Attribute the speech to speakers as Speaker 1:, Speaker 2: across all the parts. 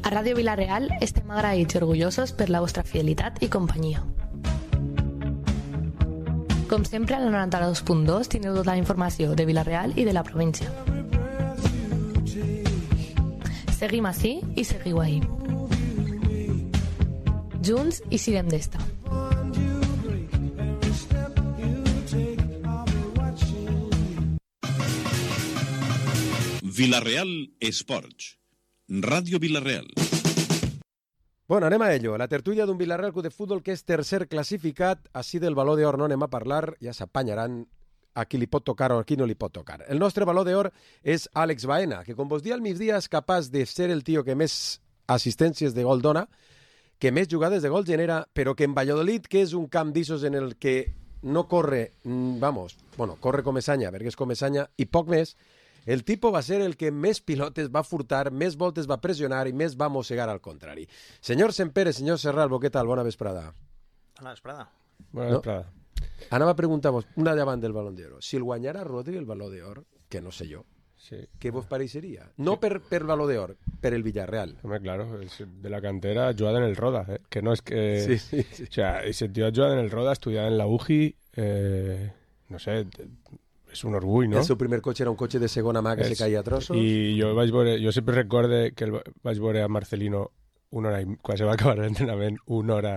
Speaker 1: A Ràdio Vila-real estem agraïts i orgullosos per la vostra fidelitat i companyia. Com sempre, a la 92.2 teniu tota la informació de Vila-real i de la província. Seguim ací i seguiu ahí. Junts i siguem d'esta.
Speaker 2: Vila-real Esports. Ràdio Vila-real.
Speaker 3: Bueno, anem a ello. La tertulia d'un Vila-real Club de Futbol que és tercer classificat. Així del Baló d'Or no anem a parlar, ja s'apanyaran a qui li pot tocar o a qui no li pot tocar. El nostre Baló d'Or és Àlex Baena, que com vos dia al migdia és capaç de ser el tio que més assistències de gol dona, que més jugades de gol genera, però que en Valladolid, que és un camp d'issos en el que no corre, corre com Esanya, perquè és com Esanya, i poc més, el tipus va ser el que més pilotes va furtar, més voltes va pressionar i més va mossegar al contrari. Senyor Sempere, senyor Serralbo, què tal? Bona vesprada.
Speaker 4: Bona vesprada.
Speaker 3: Bona vesprada. Anava a preguntar-vos, una davant del Balón d'Or. Si el guanyara Rodri el Baló d'Or, que no sé jo, sí, què vos pareixeria? No per Baló d'Or, per el Villarreal.
Speaker 5: Hombre, claro, es de la cantera, jugada en el Roda, que no es que...
Speaker 3: Sí.
Speaker 5: O sea, ese tío ha jugado en el Roda, estudiado en la UGI, no sé... És un orgull, no?
Speaker 3: El seu primer cotxe era un cotxe de segona mà que se caia a trossos.
Speaker 5: I jo sempre recorde que vaig veure a Marcelino una hora, quan se va acabar l'entrenament, una hora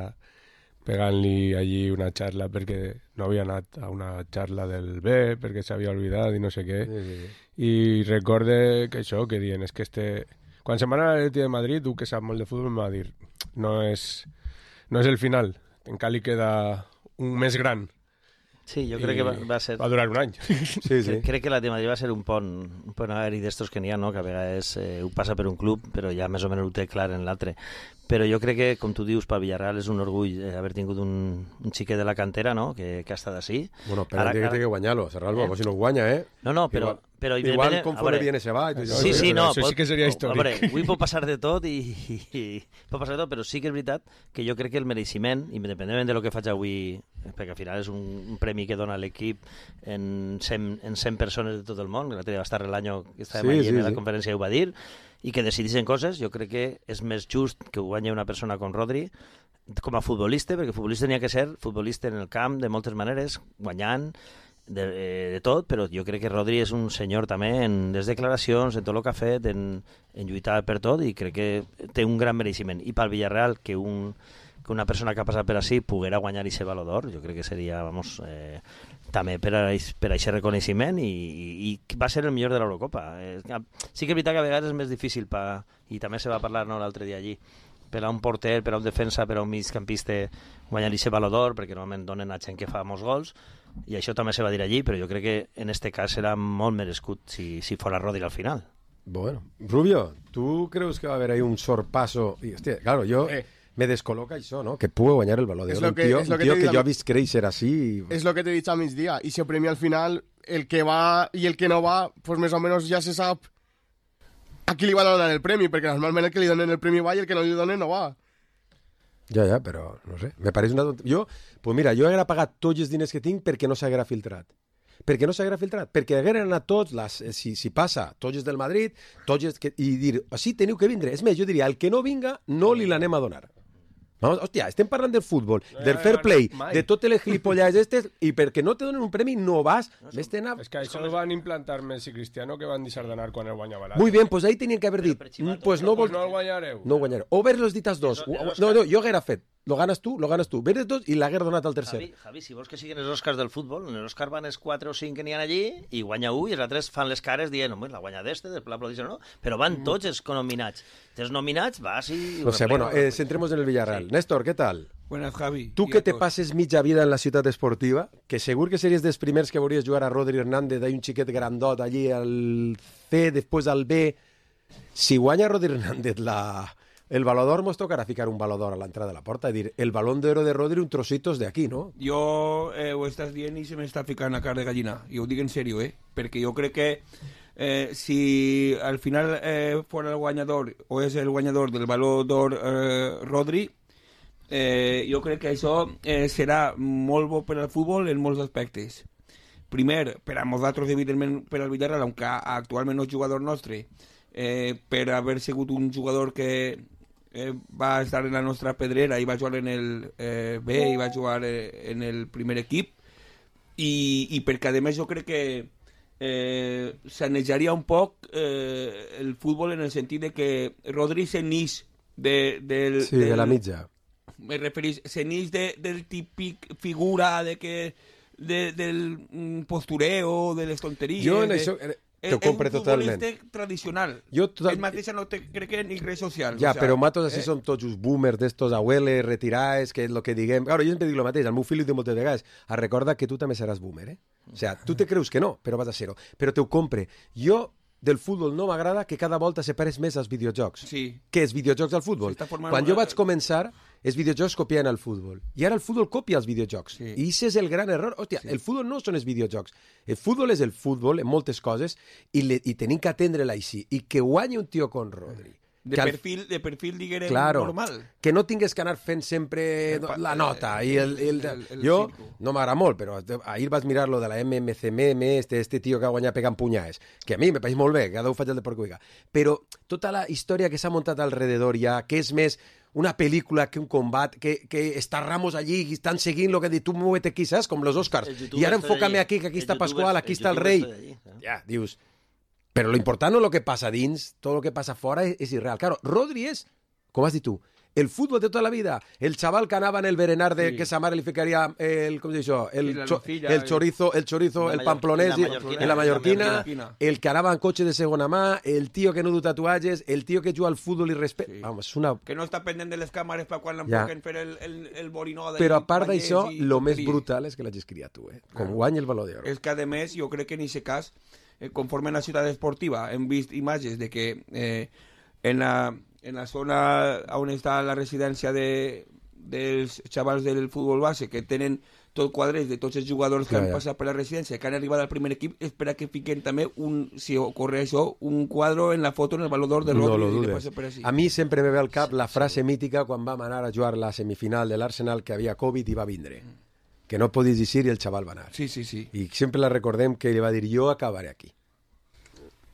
Speaker 5: pegant-li allí una xarla perquè no havia anat a una xarla del B, perquè s'havia oblidat i no sé què. Sí. I recorde que això, que diuen, és que quan se'n van a l'Atleti de Madrid, tu que saps molt de futbol, em va dir, no és el final, encara li queda un més gran.
Speaker 4: Sí, jo crec que va ser...
Speaker 5: Va durar un any.
Speaker 3: Sí.
Speaker 4: Crec que la de Madrid va ser un pont aeri d'estos que n'hi ha, no? Que a vegades ho passa per un club, però ja més o menys ho té clar en l'altre. Però jo crec que, com tu dius, pel Villarreal és un orgull haver tingut un xiquet de la cantera, no? Que ha estat així.
Speaker 3: Bueno, però ara té que guanyar-lo, Serralbo, si no ho guanya,
Speaker 4: No, però
Speaker 3: igual conforme viene se va.
Speaker 4: Sí, no.
Speaker 5: Això sí que seria històric.
Speaker 4: Hombre, avui pot passar de tot pot passar de tot, però sí que és veritat que jo crec que el mereixement, independentment de lo que faig avui, perquè al final és un premi que dona l'equip en 100 persones de tot el món, que l'altre dia va estar l'any que estàvem allà en la conferència i ho va dir, i que decidissin coses, jo crec que és més just que ho guanyi una persona com Rodri com a futbolista, perquè futbolista n'hi ha que ser futbolista en el camp de moltes maneres, guanyant de tot, però jo crec que Rodri és un senyor també en les declaracions, en tot el que ha fet, en lluitar per tot, i crec que té un gran mereixement. I pel Villarreal, que una persona que ha passat per així poguera guanyar i ser Baló d'Or, jo crec que seria, també per a aquest reconeixement, i va ser el millor de l'Eurocopa. Sí que és veritat que a vegades és més difícil, i també se va parlar l'altre dia allí, per a un porter, per a un defensa, per a un migcampista guanyar i ser Baló d'Or, perquè normalment donen a gent que fa molts gols, i això també se va dir allí, però jo crec que en este cas serà molt merescut si fora Rodri al final.
Speaker 3: Bueno, Rubio, ¿tú crees que va a haver ahí un sorpaso? Y, hostia, claro, yo... me descoloca això, ¿no? Que puede guanyar el Balón d'Or. Un tío que yo he visto créixer así.
Speaker 6: Es lo que te he dicho a mis días. Y se premia al final el que va y el que no va, pues más o menos ya se sabe a qui li van a donar el premi, perquè normalment el que li donen el premi va i el que no li donen no va.
Speaker 3: Ja, però no sé, me pareix una tonteria. Pues mira, jo haguera pagat tots els diners que tinc perquè no s'haguera filtrat. Perquè no s'haguera filtrat, perquè hagueren anat tots, si passa, tots els del Madrid, i dir, així teniu que vindre. És més, jo diria, el que no vinga, no li l'anem a donar. Vamos, hòstia, estem parlant del futbol, del fair play, de totes les gilipollades estes, i perquè no te donen un premi no vas.
Speaker 5: És que això ho van implantar Messi i Cristiano, que van deixar d'anar quan el guanyava l'altre.
Speaker 3: Muy bien, pues ahí tenien que haver dit, pues no
Speaker 5: el guanyareu.
Speaker 3: No guanyareu. O haver-los dit als dos. No, jo haguera fet. Lo ganas tú. Ves de tots i l'haguera donat al tercer.
Speaker 4: Javi, si vols que siguin els Oscars del futbol, en els Oscars van els 4 o 5 que n'hi ha allí, i guanya un, i els altres fan les cares dient, la guanya d'este, després l'aplaudixen, no? Però van tots els nominats. Els nominats vas i...
Speaker 3: No sé, bueno, centremos en el Villarreal. Sí. Néstor, ¿qué tal?
Speaker 7: Buenas, Javi.
Speaker 3: Tu que te passes mitja vida en la ciutat esportiva, que segur que series dels primers que veuries jugar a Rodri Hernández, d'ahí un xiquet grandot allí al C, després al B. Si guanya Rodri Hernández el Baló d'Or, mos tocarà ficar un Baló d'Or a l'entrada de la porta i dir, el Balón d'Oro de Rodri, un trocitos de aquí, no?
Speaker 7: Jo ho estàs dient i se m'està ficant a cara de gallina. I ho dic en sèrio, perquè jo crec que si al final fora el guanyador o és el guanyador del Baló d'Or Rodri, jo crec que això serà molt bo per al futbol en molts aspectes. Primer, per a nosaltres, evidentment, per al Villarreal, aunque actualment no és jugador nostre, per haver sigut un jugador que va estar en la nostra pedrera i va jugar en el B i va jugar en el primer equip i perquè a més jo crec que sanejaria un poc el futbol en el sentit de que Rodri se n'ix de
Speaker 3: la mitja.
Speaker 7: Me referís, se n'ix del típic figura de que del postureo, de les tonteries.
Speaker 3: Jo en això t'ho compre totalment.
Speaker 7: És un futbolista tradicional. Ell mateix no té, crec que ni res social.
Speaker 3: Ja, però matos així són tots els boomers d'estos abueles, retirats, que és el que diguem... Claro, jo sempre dic el mateix, al meu fill li dic moltes vegades, recorda que tu també seràs boomer, eh? O sea, tu te creus que no, però vas a ser-ho. Però t'ho compre. Jo del futbol no m'agrada que cada volta se pareix més als videojocs.
Speaker 7: Sí.
Speaker 3: Què és videojocs al futbol? Quan jo vaig començar, els videojocs copien el futbol. I ara el futbol copia els videojocs. Sí. I això és el gran error. Hòstia, el futbol no són els videojocs. El futbol és el futbol en moltes coses i tenim que atendre-la així. I que guanyi un tio con Rodri.
Speaker 7: De perfil diguem,
Speaker 3: claro,
Speaker 7: normal.
Speaker 3: Que no tingues que anar fent sempre la nota. Jo no m'agrada molt, però ahir vaig mirar lo de la MMCM, este tio que ha guanyat pegant punyades, que a mi me pareix molt bé, cada un faig el de porco. Però tota la història que s'ha muntat alrededor ja, que és més una pel·lícula que un combat, que està Ramos allí i estan seguint lo que diu, tu muévete aquí, saps? Com los Oscars. I ara enfócame aquí, que aquí està Pascual, aquí està el rei. Ja, dius... Però lo important no lo que passa dins, tot lo que passa fora és irreal. Claro, Rodri és, com has dit tu, el futbol de tota la vida. El xaval que anava en el berenar de que sa mare li ficaria el, com dius això, el chorizo, el pamplonès i la mallorquina, el que anava en cotxe de segona mà, el tio que no du tatuatges, el tio que juga al futbol i respecta... Vamos, una...
Speaker 7: Que no està pendent de les càmeres per quan l'enfoquen fer el borinó.
Speaker 3: Però a part d'això, lo més brutal és que l'hagis criat tu, com guanya el Baló d'Or.
Speaker 7: És que a més, jo crec que en aquest cas, conforme en la ciutat esportiva hem vist imatges de que en la zona on està la residència dels xavals del futbol base, que tenen tot quadres de tots els jugadors que han passat per la residència, que han arribat al primer equip, és per a que fiquen també, si ocorre això, un quadre en la foto en el Baló d'Or de Rodri.
Speaker 3: No lo dudes. A mi sempre me ve al cap la frase mítica quan vam anar a jugar la semifinal de l'Arsenal, que havia Covid i va vindre. Que no podies dir i el xaval va anar.
Speaker 7: Sí.
Speaker 3: I sempre la recordem que li va dir, jo acabaré aquí.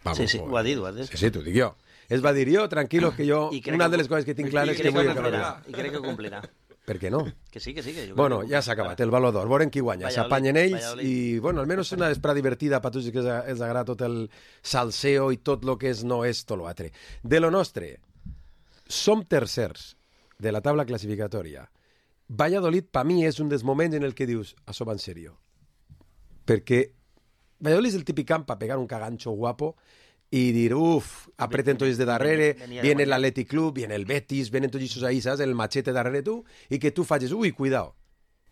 Speaker 4: Vamos, sí, ho ha dit.
Speaker 3: Sí, t'ho dic jo. Es va dir jo, tranquilos, que jo... Una de les coses que tinc clar és que vull acabar.
Speaker 4: I crec que ho complirà.
Speaker 3: Per què no?
Speaker 4: Que sí. Que
Speaker 3: bueno, ja s'ha acabat, el Baló d'Or. Veurem qui guanya. S'apanyen ells i, bueno, almenys una vesprada divertida per tots que els agrada tot el salseo i tot el que és no és tot l'altre. De lo nostre, som tercers de la taula classificatòria. Valladolid, per mi, és un dels moments en el que dius, això va en sèrio. Perquè Valladolid és el típic camp per pegar un cagancho guapo i dir, apreten tots de darrere, viene el Athletic Club, viene el Betis, vienen tots aquests ahí, saps? El machete darrere tu, i que tu facis, cuidao.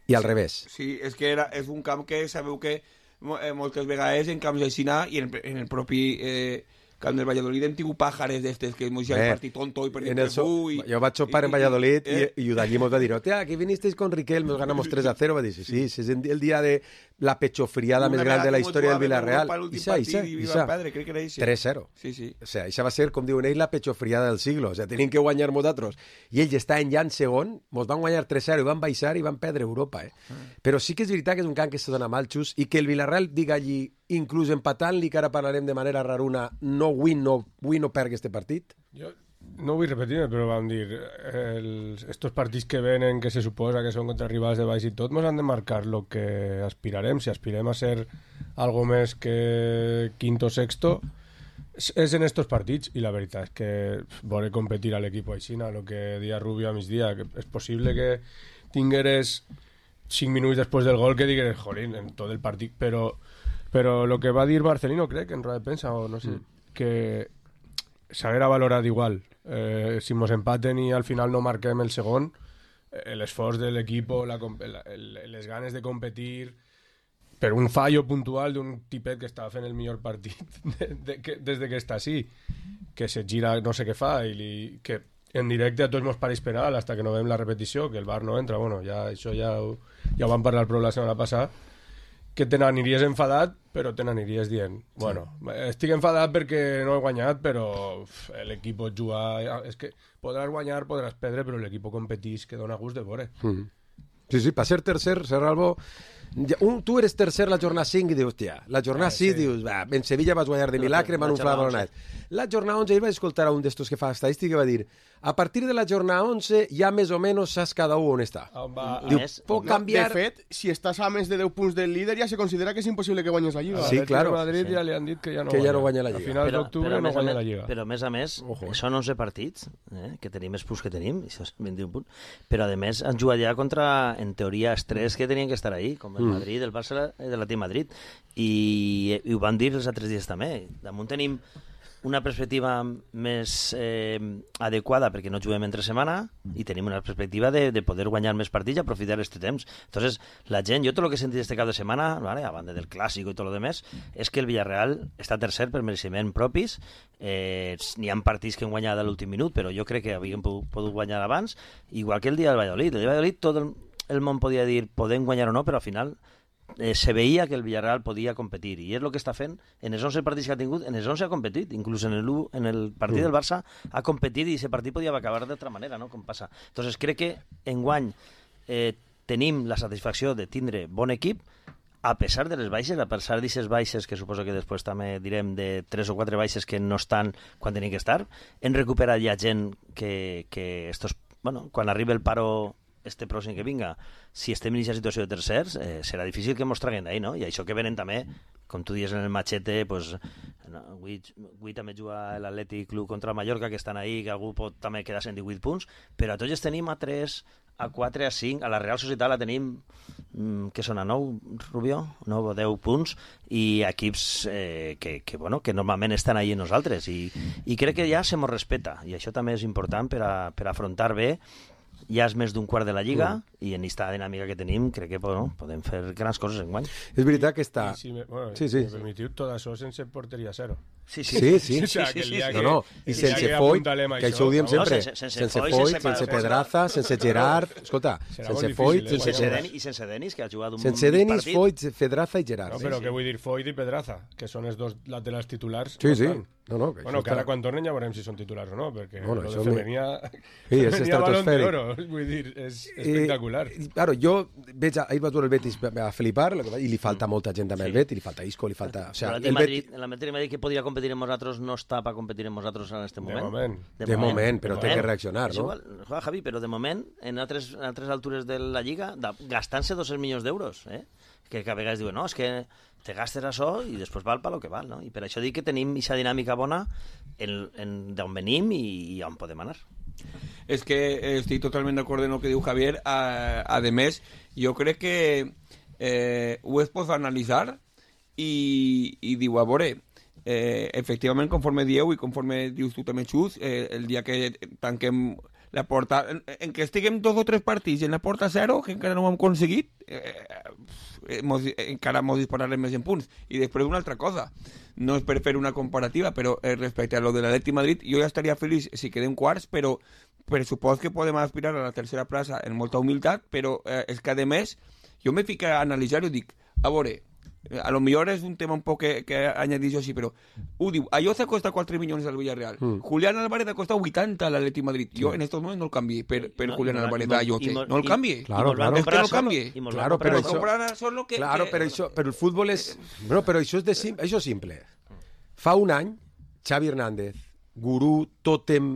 Speaker 3: I al revés.
Speaker 7: Sí, és que és un camp que sabeu que moltes vegades en camps d'aixina i en el propi... camp del Valladolid hem tingut pàjares d'estes que hemos ja el partit tonto i perdit el bu.
Speaker 3: Jo vaig sopar en Valladolid i d'allí mos va dir, que vinisteis con Riquelme, nos ganamos 3-0, va dir, sí, és el dia de la pechofriada més gran de la història del Villarreal. Ixa. 3-0.
Speaker 7: Sí.
Speaker 3: O sea, ixa va ser, com diuen ells, la pechofriada del siglo. O sea, tenim que guanyar nosaltres. I ells estaven ja en segon, mos van guanyar 3-0 i van baixar i van perdre Europa. Però sí que és veritat que és un camp que se dona mal xus i que el Villarreal diga allí, inclús empatant-li, que ara parlarem de manera raruna, no pergui este partit?
Speaker 5: Jo no vull repetir-me, però vam dir estos partits que venen, que se suposa que són contra rivals de baix i tot, ens han de marcar lo que aspirarem. Si aspirem a ser algo més que quinto o sexto, és en estos partits, i la veritat és que veure competir a l'equip aixina, lo que dia Rubio a migdia, que és possible que tingueres 5 minuts després del gol que digueres, jolín, en tot el partit, però lo que va dir Marcelino, crec, en roda de premsa, o no sé, que s'haguera valorat igual. Si mos empaten i al final no marquem el segon, l'esforç de l'equip, les ganes de competir, per un fallo puntual d'un tipet que estava fent el millor partit des de que està així, que se gira no sé què fa, i que en directe a tots mos pareix penal hasta que no veiem la repetició, que el VAR no entra. Bueno, això ja ho vam parlar prou la setmana passada, que te n'aniries enfadat, però te n'aniries dient, bueno, estic enfadat perquè no he guanyat, però l'equip pot jugar, és que podràs guanyar, podràs perdre, però l'equip competeix, que dona gust de veure.
Speaker 3: Sí, per ser tercer, Serralbo, Tu eres tercer la jornada 5 i dius, hòstia, la jornada 6 dius, va, en Sevilla vas guanyar de milagre, van unflar balonat. La jornada 11, jo vaig escoltar a un d'estos que fa estadística i va dir, a partir de la jornada 11 ja més o menys saps cada un on està. Diu, pot canviar...
Speaker 6: De fet, si estàs a més de 10 punts del líder ja se considera que és impossible que guanyes la Lliga.
Speaker 3: Sí, claro.
Speaker 5: Madrid ja li han dit que ja
Speaker 3: no guanya la Lliga.
Speaker 5: A finals d'octubre no guanya la Lliga.
Speaker 4: Però, a més, són 11 partits, que tenim els punts que tenim, i això és 21 punts, però, a més, han jugat ja contra, en teoria, els 3 que tenien que estar ahí, com el Madrid, el Barça i l'Atlètic Madrid, i ho van dir els altres dies també. Damunt tenim una perspectiva més adequada perquè no juguem entre setmana i tenim una perspectiva de poder guanyar més partits i aprofitar aquest temps. Entonces, la gent, jo tot el que he sentit este cap de setmana, ¿vale? A banda del clàssic i tot el demés, és que el Villarreal està tercer per mereixement propis. N'hi ha partits que han guanyat a l'últim minut, però jo crec que havien pogut guanyar abans, igual que el dia del Valladolid. El dia del Valladolid tot el món podia dir podem guanyar o no, però al final se veia que el Villarreal podia competir i és el que està fent en els 11 partits que ha tingut, en els 11 ha competit, inclús en el partit del Barça ha competit i aquest partit podia acabar d'altra manera, no? Com passa. Entonces crec que enguany tenim la satisfacció de tindre bon equip a pesar de les baixes, a pesar d'aquestes baixes que suposo que després també direm de 3 o 4 baixes que no estan quan tenien que estar. Hem recuperat ja gent que estos, bueno, quan arribi el paro este pròxim que vinga, si estem en aquesta situació de tercers, serà difícil que mos traguen d'ahí, no? I això que venen també, com tu dius en el machete, pues, no, avui també juga l'Atlètic Club contra el Mallorca, que estan ahí, que algú pot també quedar-se en 18 punts, però a tots els tenim a 3, a 4, a 5, a la Real Societat la tenim, que són a 9, Rubió? 9 o 10 punts, i equips que normalment estan ahí en nosaltres, i crec que ja se mos respeta, i això també és important per afrontar bé. Ja és més d'un quart de la Lliga i en aquesta dinàmica que tenim crec que podem fer grans coses enguany.
Speaker 3: És veritat que està...
Speaker 5: Si me permetiu, tot això sense porteria zero.
Speaker 3: Sí.
Speaker 5: No,
Speaker 3: i sense Foyt, que això ho diem sempre. Sense Foyt, sense Pedraza, sense Gerard... Escolta, sense Foyt...
Speaker 4: I sense Denis, que ha jugat un partit.
Speaker 3: Sense Denis, Foyt, Pedraza i Gerard.
Speaker 5: No, però què vull dir Foyt i Pedraza, que són els dos laterals titulars.
Speaker 3: Sí.
Speaker 5: Bueno, que ara quan tornen ja veurem si són titulars o no, perquè el de Femenia...
Speaker 3: Sí, és estratosfèric.
Speaker 5: Vull dir, és espectacular.
Speaker 3: Claro, jo veig, ahir va veure el Betis a flipar, i li falta molta gent també al Betis, li falta Isco, li falta...
Speaker 4: L'Atlètic Madrid que podria competir amb nosaltres no està per competir amb nosaltres en aquest moment.
Speaker 3: De moment, però té que reaccionar, no?
Speaker 4: Igual, Javi, però de moment, en altres altures de la Lliga, gastant-se 200 milions d'euros, que a vegades diuen, no, és que te gastes això i després val pel que val, no? I per això dic que tenim aquesta dinàmica bona d'on venim i on podem anar.
Speaker 7: És que estic totalment d'acord en el que diu Javier. A més, jo crec que ho es pot analitzar i diu, a veure, efectivament, conforme dieu i conforme dius tu també, Xus, el dia que tanquem la porta, en què estiguem 2 o 3 partits en la porta 0, que encara no ho hem aconseguit, encara mos dispararem més en punts. I després una altra cosa, no és per fer una comparativa, però respecte a lo de l'Atlètic Madrid, jo ja estaria feliç si quedem quarts, però per supòs que podem aspirar a la tercera plaça en molta humilitat, però és que a més jo me fico a analitzar i dic, a veure, a lo millor és un tema un poc que añadís jo així, però ho diu, Ayoce costa 4 milions al Villarreal, Julián Álvarez ha costat 80 a l'Atlètic Madrid, jo en estos moments no el canvié per Julián Álvarez a Ayoce, no el canvié,
Speaker 3: claro.
Speaker 7: És que no el canvié,
Speaker 3: claro, però el futbol és, no, però això és simple. Fa un any Xavi Hernández, gurú, tòtem,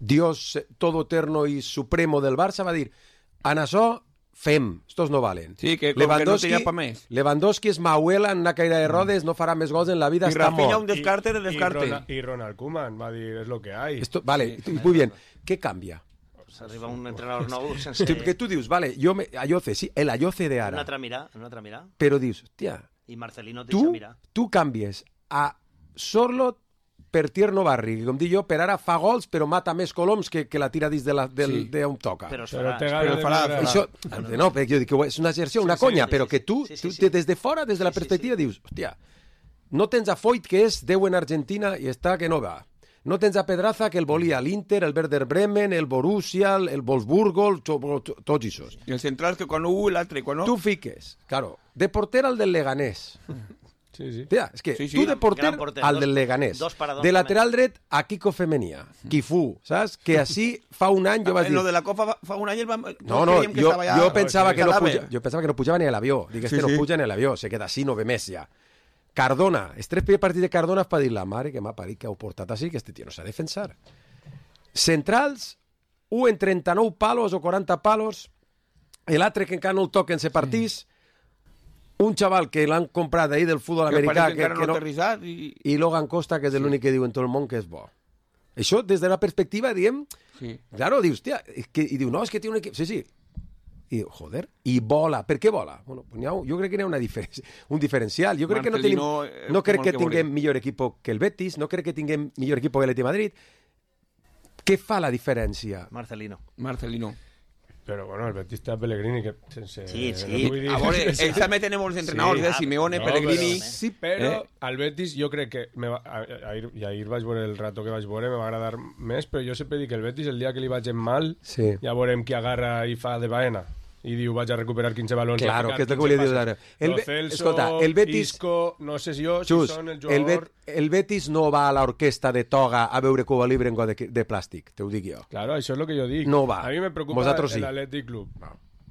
Speaker 3: Dios todoterno i supremo del Barça, va dir, en això fem, estos no valen.
Speaker 7: Sí, que no tenia pa més.
Speaker 3: Lewandowski és Mauela en una caïda de rodes, no farà més gols en la vida, està mort.
Speaker 7: I Rafinha un descarte de descarte.
Speaker 5: I Ronald Koeman va dir, és lo que hay.
Speaker 3: Vale, muy bien. ¿Qué cambia?
Speaker 4: S'arriba un entrenador nou sense...
Speaker 3: Que tu dius, vale, Ayoce, sí, el Ayoce de ara.
Speaker 4: En una altra mirada.
Speaker 3: Però dius, hòstia...
Speaker 4: I Marcelino te deixa mirar.
Speaker 3: Tu canvies a Sorlot per Tierno Barri, que com dic jo, per ara fa gols, però mata més coloms que la tira dins d'on toca.
Speaker 4: Però
Speaker 3: farà. Això, no, perquè jo dic que és una exerció, una conya, però que tu, des de fora, des de la perspectiva, dius, hòstia, no tens a Foyt, que és 10 en Argentina i està que no va. No tens a Pedraza, que el volia l'Inter, el Werder Bremen, el Borussia, el Wolfsburgo, tots aquests.
Speaker 7: I els centrals que quan un i l'altre, quan no...
Speaker 3: Tu fiques, claro, de porter al del Leganés.
Speaker 5: Sí, sí.
Speaker 3: Tia, és que
Speaker 7: Sí, sí.
Speaker 3: tu de porter,
Speaker 4: Gran porter,
Speaker 3: al
Speaker 4: dos-
Speaker 3: del Leganés,
Speaker 4: dos paradors
Speaker 3: de
Speaker 4: també.
Speaker 3: lateral dret a Kiko Femenia, Kifu, saps? Que així fa un any jo vaig
Speaker 7: En
Speaker 3: dir...
Speaker 7: lo de la Copa fa un any el vam...
Speaker 3: No,
Speaker 7: creiem que
Speaker 3: jo
Speaker 7: estava ja...
Speaker 3: jo pensava que no
Speaker 7: cadàver.
Speaker 3: puja, jo pensava que no pujava ni a l'avió. Dic, este
Speaker 7: Sí,
Speaker 3: no
Speaker 7: sí.
Speaker 3: puja ni a l'avió, se queda així, no ve més ja. Cardona, els 3 primers partits de Cardona és per dir la mare que m'ha parit que heu portat així, que este tio no s'ha de defensar. Centrals, un en 39 palos o 40 palos, l'altre que encara no el toquen se partís, un xaval que l'han comprat d'ahir del futbol
Speaker 7: Que
Speaker 3: americà
Speaker 7: parece que encara no ha aterrissat
Speaker 3: i Logan Costa, que és l'únic que diu en tot el món que és bo. Això, des de la perspectiva, diem...
Speaker 7: Sí.
Speaker 3: Claro, dius, tia, i diu, no, és que té un equip... Sí, sí. I diu, joder, i vola. Per què vola? Bueno, pues jo crec que n'hi ha un diferencial. Jo crec que no tenim...
Speaker 7: Marcelino,
Speaker 3: No crec
Speaker 7: com
Speaker 3: que
Speaker 7: el que
Speaker 3: tinguem
Speaker 7: veurem.
Speaker 3: millor equip que el Betis, no crec que tinguem millor equip que l'Atleti de Madrid. Què fa la diferència?
Speaker 4: Marcelino.
Speaker 5: Però, bueno, el Betis té a Pellegrini, que sense...
Speaker 4: Sí,
Speaker 5: no
Speaker 4: sí.
Speaker 5: vull dir-
Speaker 7: A veure, ells també tenen molts entrenadors,
Speaker 5: Sí.
Speaker 7: Simeone,
Speaker 5: No,
Speaker 7: Pellegrini...
Speaker 5: però-
Speaker 3: Sí,
Speaker 5: Però al Betis jo crec que ahir vaig veure el rato que vaig veure, me va agradar més, però jo sempre dic que el Betis el dia que li vaig en mal,
Speaker 3: Sí.
Speaker 5: ja veurem qui agarra i fa de baena i diu vaig a recuperar 15 balons.
Speaker 3: Claro,
Speaker 5: a ficar
Speaker 3: que és el que
Speaker 5: 15
Speaker 3: volia dir
Speaker 5: passes.
Speaker 3: ara. El
Speaker 5: Lo
Speaker 3: Be-
Speaker 5: Celso,
Speaker 3: escolta, el Betis-
Speaker 5: Isco, no sé si jo,
Speaker 3: Xus,
Speaker 5: si són el
Speaker 3: el,
Speaker 5: jugador...
Speaker 3: el Betis no va a l'orquestra de toga a veure Cuba Libre en got de plàstic, te ho dic jo.
Speaker 5: Claro, això és el que jo dic.
Speaker 3: No va.
Speaker 5: A mi me preocupa
Speaker 3: Vosaltres sí.
Speaker 5: l'Atlètic Club.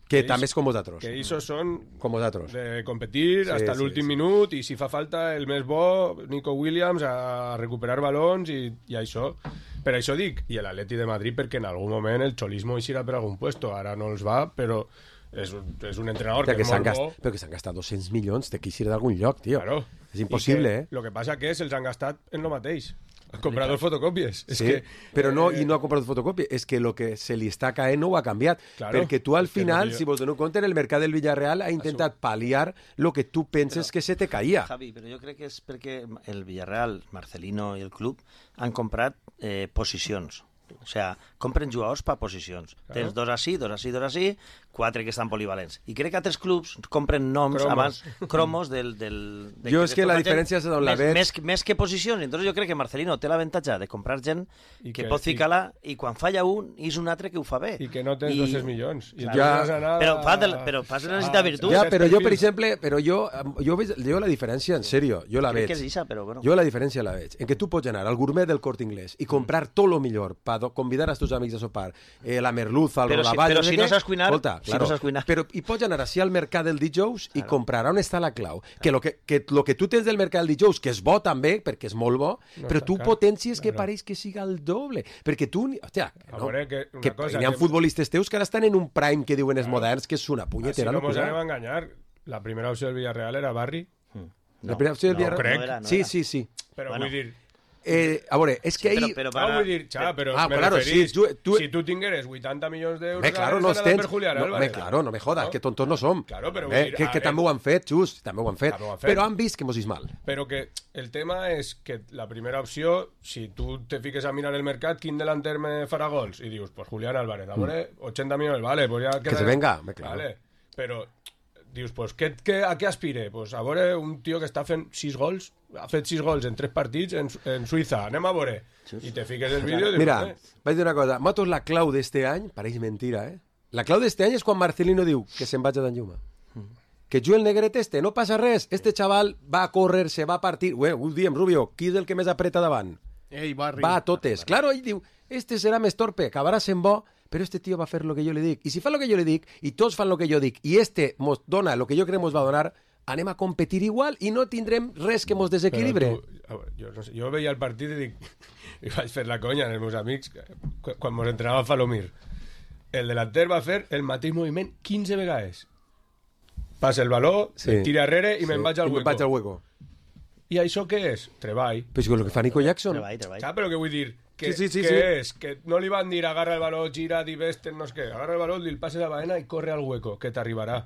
Speaker 3: Que
Speaker 5: Que
Speaker 3: també
Speaker 5: ells-
Speaker 3: és com vosaltres.
Speaker 5: Que ells són
Speaker 3: Com vosaltres.
Speaker 5: de competir
Speaker 3: Sí,
Speaker 5: hasta
Speaker 3: sí,
Speaker 5: l'últim
Speaker 3: sí.
Speaker 5: minut i si fa falta el més bo, Nico Williams, a recuperar balons i això. Per això dic, i l'Atleti de Madrid perquè en algun moment el xolismo eixirà per algun puesto, ara no els va, però és un entrenador
Speaker 3: Hòstia,
Speaker 5: que és molt bo.
Speaker 3: Però que s'han gastat 200 milions, té que eixir d'algun lloc, tio.
Speaker 5: Claro.
Speaker 3: És impossible,
Speaker 5: I
Speaker 3: eh?
Speaker 5: Lo que passa que se'ls han gastat en lo mateix. Han comprat dos fotocòpies. És
Speaker 3: Sí,
Speaker 5: que,
Speaker 3: però no, i no ha comprat fotocòpia, és que el que se li està caent no ho ha canviat,
Speaker 5: Claro,
Speaker 3: perquè tu al
Speaker 5: és que
Speaker 3: final,
Speaker 5: no, jo-
Speaker 3: si vos doneu compte, en el mercat del Villarreal ha intentat pal·liar el que tu penses que se te caia.
Speaker 4: Javi, però jo crec que és perquè el Villarreal, Marcelino i el club han comprat posicions. O sea, compren jugadors per posicions. Tens dos així, dos així, dos així, 4 que estan polivalents. I crec que altres clubs compren noms
Speaker 5: Cromos.
Speaker 4: abans, cromos de
Speaker 3: Jo és que la diferència és on la veig.
Speaker 4: Més que posicions. Entonces jo crec que Marcelino té l'avantatge de comprar gent
Speaker 5: I
Speaker 4: que
Speaker 5: que-
Speaker 4: pot ficar-la i quan falla un, és un altre que ho fa bé.
Speaker 5: I que no tens 200 milions. I
Speaker 4: Claro.
Speaker 3: Ja.
Speaker 5: vas anar
Speaker 4: Però fas de necessitar virtut.
Speaker 3: Ja,
Speaker 5: set
Speaker 3: però jo, per
Speaker 5: perfils.
Speaker 3: exemple, jo la diferència, en sèrio, jo la
Speaker 4: Crec
Speaker 3: veig.
Speaker 4: que és ixa, però bueno.
Speaker 3: Jo la diferència la veig. En que tu pots anar al gourmet del Corte Inglés i comprar tot lo millor per convidar als teus amics a sopar, la merluza, el
Speaker 4: Però si-
Speaker 3: rodaballo...
Speaker 4: però si
Speaker 3: sé
Speaker 4: no
Speaker 3: què.
Speaker 4: saps cuinar,
Speaker 3: Escolta,
Speaker 4: si no saps cuinar.
Speaker 3: Però i pots anar així al mercat del dijous i comprar on està la clau. Que lo que tu tens del mercat del dijous, que és bo també, perquè és molt bo, però
Speaker 5: està
Speaker 3: tu
Speaker 5: car.
Speaker 3: potencies que
Speaker 5: Claro.
Speaker 3: pareix que siga el doble. Perquè tu... Hòstia,
Speaker 5: A veure, que una
Speaker 3: que
Speaker 5: cosa,
Speaker 3: hi ha
Speaker 5: que-
Speaker 3: futbolistes teus que ara estan en un prime que diuen els moderns, que és una
Speaker 5: Així
Speaker 3: punyetera
Speaker 5: no mos anem a
Speaker 3: locura.
Speaker 5: enganyar. La primera opció del Villarreal era Barri,
Speaker 3: La primera opció del
Speaker 4: no,
Speaker 3: Villarreal-
Speaker 5: crec.
Speaker 4: no era, no
Speaker 3: Sí,
Speaker 4: era.
Speaker 3: sí, sí.
Speaker 5: però
Speaker 4: Bueno.
Speaker 5: vull dir...
Speaker 3: A veure, és que ahir...
Speaker 4: Però
Speaker 5: vull dir, xa, però
Speaker 3: Ah,
Speaker 5: me
Speaker 3: claro,
Speaker 5: referís,
Speaker 3: sí, tu-
Speaker 5: si tu tingueres 80 milions d'euros...
Speaker 3: Bé, claro, no els
Speaker 5: ara
Speaker 3: tens.
Speaker 5: per Julián
Speaker 3: No,
Speaker 5: Álvarez.
Speaker 3: claro, no me jodas,
Speaker 5: No?
Speaker 3: que tontos no som.
Speaker 5: Claro, però
Speaker 3: Bé,
Speaker 5: vull dir,
Speaker 3: que
Speaker 5: a
Speaker 3: també
Speaker 5: veure-
Speaker 3: ho han fet, just, també ho han fet.
Speaker 5: També ho han fet.
Speaker 3: Però han vist que mos és mal.
Speaker 5: Però que el tema és que la primera opció, si tu te fiques a mirar el mercat, quin delanter me farà gols? I dius, pues Julián Álvarez, a veure, 80 milions, vale, pues ja...
Speaker 3: Que se venga, bé, claro.
Speaker 5: Vale, però dius, pues, a què aspire? Pues a veure un tio que està fent 6 gols, ha fet 6 gols en 3 partits en Suïssa, anem a veure. I te fiques el vídeo i dius,
Speaker 3: Mira, vaig dir una cosa. Matos, la clau d'este any, pareix mentira, eh? La clau d'este any és quan Marcelino diu que se'n vaig a d'Anyuma. Que Joel Negret no passa res. Este xaval va a córrer, se va a partir... Ho diem, Rubio, qui és el que més apreta davant?
Speaker 6: Ei, Barri.
Speaker 3: Va a totes. Claro, ell diu, este serà més torpe, acabarà sent bo, però este tio va fer lo que jo li dic. I si fa lo que jo li dic, i tots fan lo que jo dic, i este mos dona lo que jo crec mos va donar, anem a competir igual i no tindrem res que mos desequilibre.
Speaker 5: Jo, no sé, jo veia el partit i dic, i vaig fer la conya als meus amics quan mos entrenava Falomir. El delanter va fer el mateix moviment 15 vegades. Passa el baló,
Speaker 3: Sí.
Speaker 5: tira arrere i me'n vaig al
Speaker 3: I
Speaker 5: hueco.
Speaker 3: me'n vaig al hueco.
Speaker 5: I això què és? Treball.
Speaker 3: Però és que el que fa Nico Jackson...
Speaker 4: Treball.
Speaker 5: Saps però què vull dir? Que,
Speaker 3: Sí, sí, sí,
Speaker 5: què
Speaker 3: sí.
Speaker 5: és? Que no li van dir agarra el baló, gira, diveste, no sé què. Agarra el baló, li el passes a Baena i corre al hueco, que t'arribarà.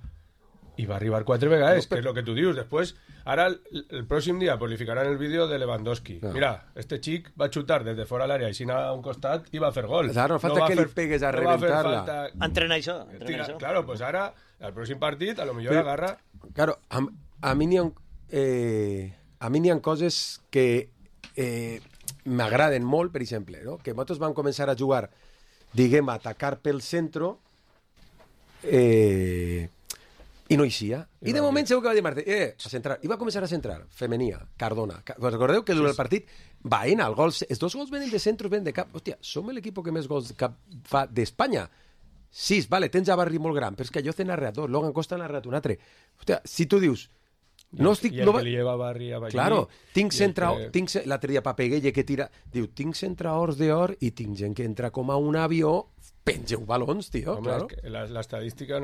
Speaker 5: I va arribar 4 vegades, que és el que tu dius. Després, ara, el pròxim dia, pues, li ficaran el vídeo de Lewandowski.
Speaker 3: No.
Speaker 5: Mira, este xic va xutar des de fora l'àrea i s'anava a un costat i va fer gol.
Speaker 3: Claro, falta
Speaker 5: va
Speaker 3: que li pegues a
Speaker 5: no va fer
Speaker 3: reventar-la.
Speaker 5: falta
Speaker 4: Entrena això.
Speaker 5: Claro, pues ara, al pròxim partit, a lo millor agarra...
Speaker 3: Claro, a mi n'hi ha coses que m'agraden molt, per exemple, no? Que nosaltres vam començar a jugar, diguem, a atacar pel centre I no hi sia. I de moment segur que va dir Martí, a centrar. I va començar a centrar. Femenia, Cardona. Recordeu que durant el partit vaina, els 2 gols venen de centros, venen de cap. Hòstia, som l'equip que més gols de cap fa d'Espanya. 6, vale, tens a Barri molt gran, però és que jo he narrat 2, Logan Costa n'ha narrat un altre. Hòstia, si tu dius... No estic...
Speaker 5: I el que li lleva Barri a Ballí...
Speaker 3: Claro, l'altre dia Papeguelle que tira... Diu, tinc centraors d'or i tinc gent que entra com a un avió, pengeu balons, tio,
Speaker 5: Home,
Speaker 3: claro.
Speaker 5: Es que la estadística...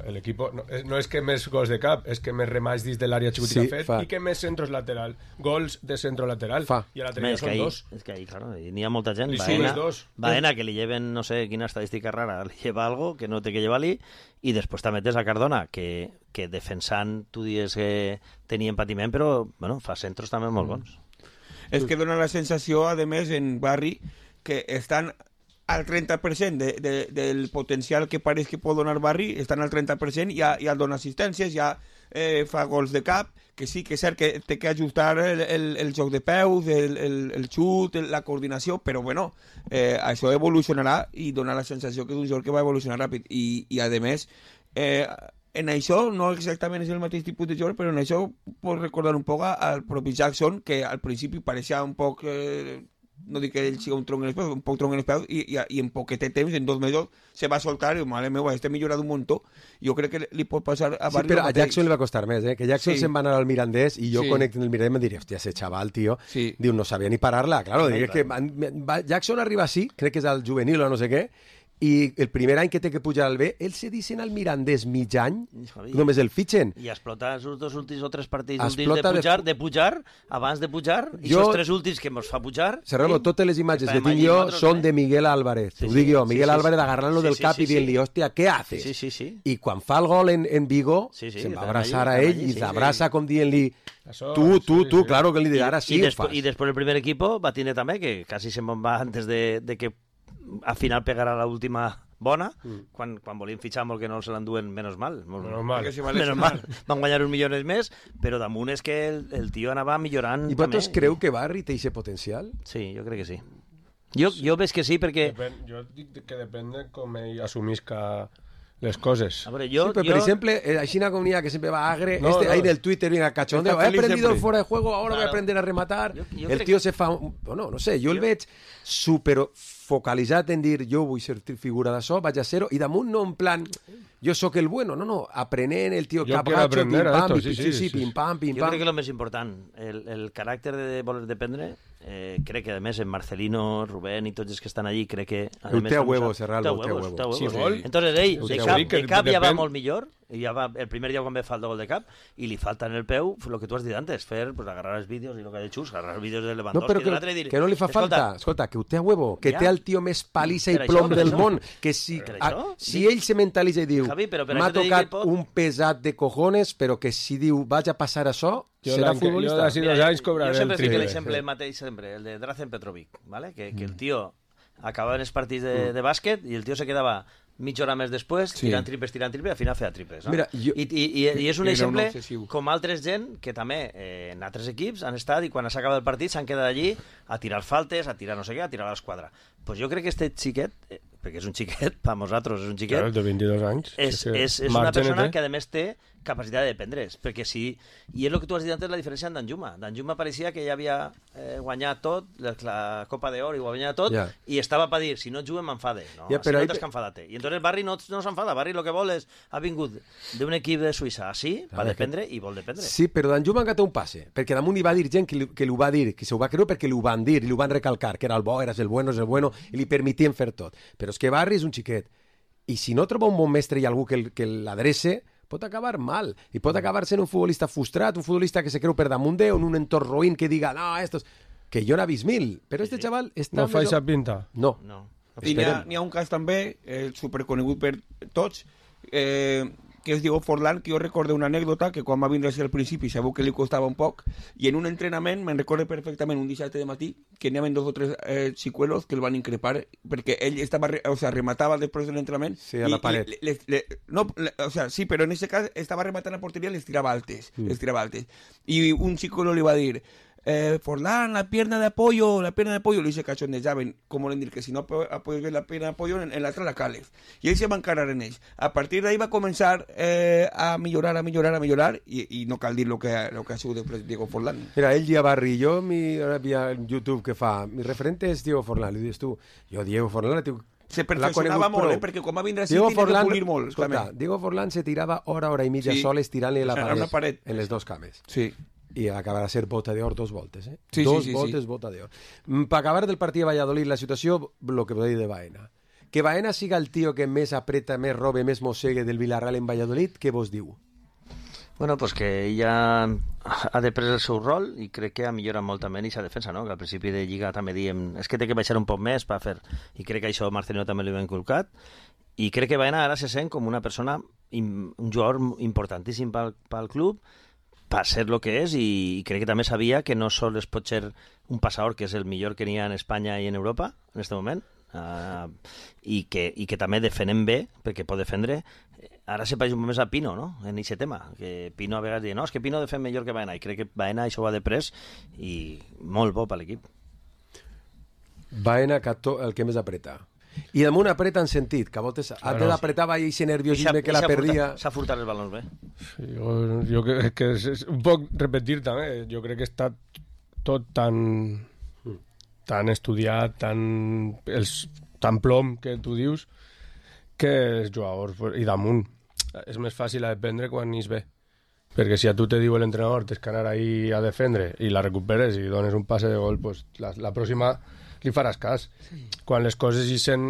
Speaker 5: el equipo no es que més gols de cap, és que més remats dins de l'àrea xicotica fet i que més centros lateral, gols de centro lateral i a l'altre dia són 2.
Speaker 4: És que ahí, claro, n'hi ha molta gent.
Speaker 5: Baena,
Speaker 4: que li lleven, no sé quina estadística rara, li lleva algo que no té que llevar-li, i després també tens a Cardona, que defensant, tu dius que tenia patiment, però bueno, fa centros també molt bons.
Speaker 7: És que dona la sensació, a més, en Barri, que estan al 30% del potencial que pareix que pot donar Barri, estan al 30%, ja dona assistències, ja fa gols de cap, que sí que és cert que té que ajustar el joc de peus, el xut, la coordinació, però bueno, això evolucionarà i dona la sensació que és un joc que va evolucionar ràpid. I a més, en això no exactament és el mateix tipus de joc, però en això pot recordar un poc al propi Jackson, que al principi pareixia un poc... no dic que ell sigui un tronc en els peus, un poc tronc en els peus, i en poquet temps, en 2 mesos, se va soltar i, mare meva, este millorat un muntó. Jo crec que li pot passar a Barri.
Speaker 3: Sí, però a Jackson li va costar més, que Jackson se'n va anar al Mirandés i jo connecto en el Mirandés i em diria, hòstia, ese chaval, tio, diu, no sabia ni parar-la. Claro, diria que Jackson arriba així, crec que és al juvenil o no sé què, i el primer any que té que pujar al B, ell se dicen al Mirandés mig any, només el fitxen.
Speaker 4: I explota els 2 últims o 3 partits últims de pujar, abans de pujar, i els 3 últims que ens fa pujar...
Speaker 3: Serrano, totes les imatges que tinc jo són de Miguel Álvarez. Ho dic jo, Miguel Álvarez agarrant-lo del cap i dient-li, hòstia, què haces? I quan fa el gol en Vigo, se'n va abraçar a ell i s'abraça com dient-li... Tu, claro que li dirà, ara sí ho fas.
Speaker 4: I després el primer equip va tindre també, que quasi se'n va antes de que al final pegarà l'última bona, quan volien fitxar molt que no se l'enduen, menos mal. Van guanyar uns milions més, però damunt és que el tio anava millorant.
Speaker 3: I vosaltres creu que Barri té aquest potencial?
Speaker 4: Sí, jo crec que sí. Jo veig que sí, perquè...
Speaker 5: Jo dic que depèn de com ell assumisca les coses.
Speaker 3: A veure, per exemple, així una comunidad que sempre va agre, ahí del Twitter viene cachondeo, he aprendido el fuera de juego, ahora voy a aprender a rematar. El tío se fa... Bueno, no sé, jo el veig super focalitzat en dir jo vull ser figura d'això, vaig a ser-ho, i damunt no en plan jo sóc el bueno, no, aprenent el tio capgatxo, pim-pam, pim-pam, pim-pam.
Speaker 4: Jo crec que el més important, el caràcter de voler dependre, crec que a més en Marcelino, Rubén i tots els que estan allí, crec que...
Speaker 3: El té a huevo, Serralbo, té a huevo.
Speaker 4: Entonces ell, de cap ja va molt millor, i ja va, el primer dia quan ve falta gol de cap, i li falta en el peu, lo que tu has dit antes, fer, pues, agarrar els vídeos, i lo que ha dit Xus, agarrar els vídeos de Lewandowski,
Speaker 3: no, però que no li fa falta, escolta, que ho té a huevo, que té el tio més palissa i plom del món, que si ell se mentalitza i diu m'ha tocat un pesat de cojones, però que si diu vaig a passar això, serà futbolista.
Speaker 5: Jo d'ací 2 anys cobraré el triple.
Speaker 4: Jo sempre fico l'exemple mateix, el de Drazen Petrovic, que el tio acabava en els partits de bàsquet i el tio se quedava mitja hora més després, tirant triples, i al final feia triples. No?
Speaker 3: Mira,
Speaker 4: I és un exemple com altres gent que també en altres equips han estat i quan s'acaba el partit s'han quedat allí a tirar faltes, a tirar no sé què, a tirar a l'esquadra. Pues jo crec que este xiquet, perquè és un xiquet, per nosaltres és un xiquet,
Speaker 5: de 22 anys,
Speaker 4: és una persona que a més té capacitat de dependre's, perquè sí, i és el que tu has dit antes, la diferència amb Danjuma. Danjuma pareixia que ja havia guanyat tot, la Copa d'Or i ho havia guanyat tot, i estava per dir, si no juguem m'enfade. No, si no t'has que enfadar-te. I entonces Barri no s'enfada, Barri el que vol és, ha vingut d'un equip de Suïssa així, per dependre, i vol dependre.
Speaker 3: Sí, però Danjuma encara té un passe, perquè damunt hi va dir gent que li ho va dir, que s'ho va creure perquè li ho van dir, i li ho van recalcar, que era el bo, eres el bueno, i li permetien fer tot. Però és que Barri és un xiquet, i si no troba un bon mestre i algú que l'adrece, pot acabar mal, i pot acabar sent un futbolista frustrat, un futbolista que se creu per damunt en un entorn roïn que diga, no, estos... que jo n'ha vist 1000, però este xaval està...
Speaker 5: No fa aquesta pinta?
Speaker 3: No.
Speaker 7: I n'hi ha un cas també, superconegut per tots, que es diu Forlán, que jo recordo una anècdota que quan va vindre al principi sabeu que li costava un poc, i en un entrenament, me'n recordo perfectament un dissabte de matí, que n'hi havia 2 o 3 xicuelos que el van increpar, perquè ell estava, rematava després de l'entrenament.
Speaker 3: Sí, a la paret.
Speaker 7: Sí, però en aquest cas estava rematant a porteria i les tirava altes. I un xicuelo li va dir, Forlán, la pierna de apoyo, le dice cachondejaven, como le dir que si no apoyes bien la pierna de apoyo, en l'altra la cales. I ell se va encarar en ells. A partir d'ahí va començar a millorar, i no cal dir lo que ha sigut després Diego Forlán.
Speaker 3: Mira, ell ja Barri, jo via YouTube que fa, mi referente és Diego Forlán, li dius tu, jo Diego Forlán,
Speaker 7: se perfeccionava molt, perquè quan va vindre a City tenia que polir molt.
Speaker 3: Escolta, Diego Forlán se tirava hora i mitja sol estirant-li la paret en les dos cames.
Speaker 7: Sí.
Speaker 3: I acabarà a ser bota d'or 2 voltes, eh?
Speaker 7: Sí,
Speaker 3: dos voltes, bota d'or. Per acabar del partit de Valladolid, la situació, el que podeu dir de Baena. Que Baena siga el tio que més apreta, més robe, més mossegue del Villarreal en Valladolid, què vos diu?
Speaker 4: Bueno, pues que ella ha de prendre el seu rol i crec que ha millorat molt també en aquesta defensa, no? Que al principi de Lliga també diem és que té que baixar un poc més per fer, i crec que això Marcelino també li ha inculcat, i crec que Baena ara se sent com una persona, un jugador importantíssim pel club, per ser el que és, i crec que també sabia que no sol es pot ser un passador que és el millor que n'hi ha en Espanya i en Europa en aquest moment, i que també defenem bé, perquè pot defendre. Ara se pareix un moment a Pino, no?, en aquest tema, que Pino a vegades diu, no, és que Pino defèn millor que Baena, i crec que Baena això ho ha de pres, i molt bo per l'equip.
Speaker 3: Baena, el que més apreta. I damunt apreta en sentit, que a voltes apretava i ese nerviosisme que la perdia.
Speaker 4: S'ha furtat els balons bé.
Speaker 5: Sí, jo crec que és un poc repetir també, jo crec que està tot tan estudiat, tan plom que tu dius, que els jugadors, i damunt, és més fàcil aprendre quan n'hi és bé. Perquè si a tu te diu l'entrenador tens que anar ahí a defendre i la recuperes i dones un passe de gol, pues la pròxima li faràs cas. Sí. Quan les coses hi sent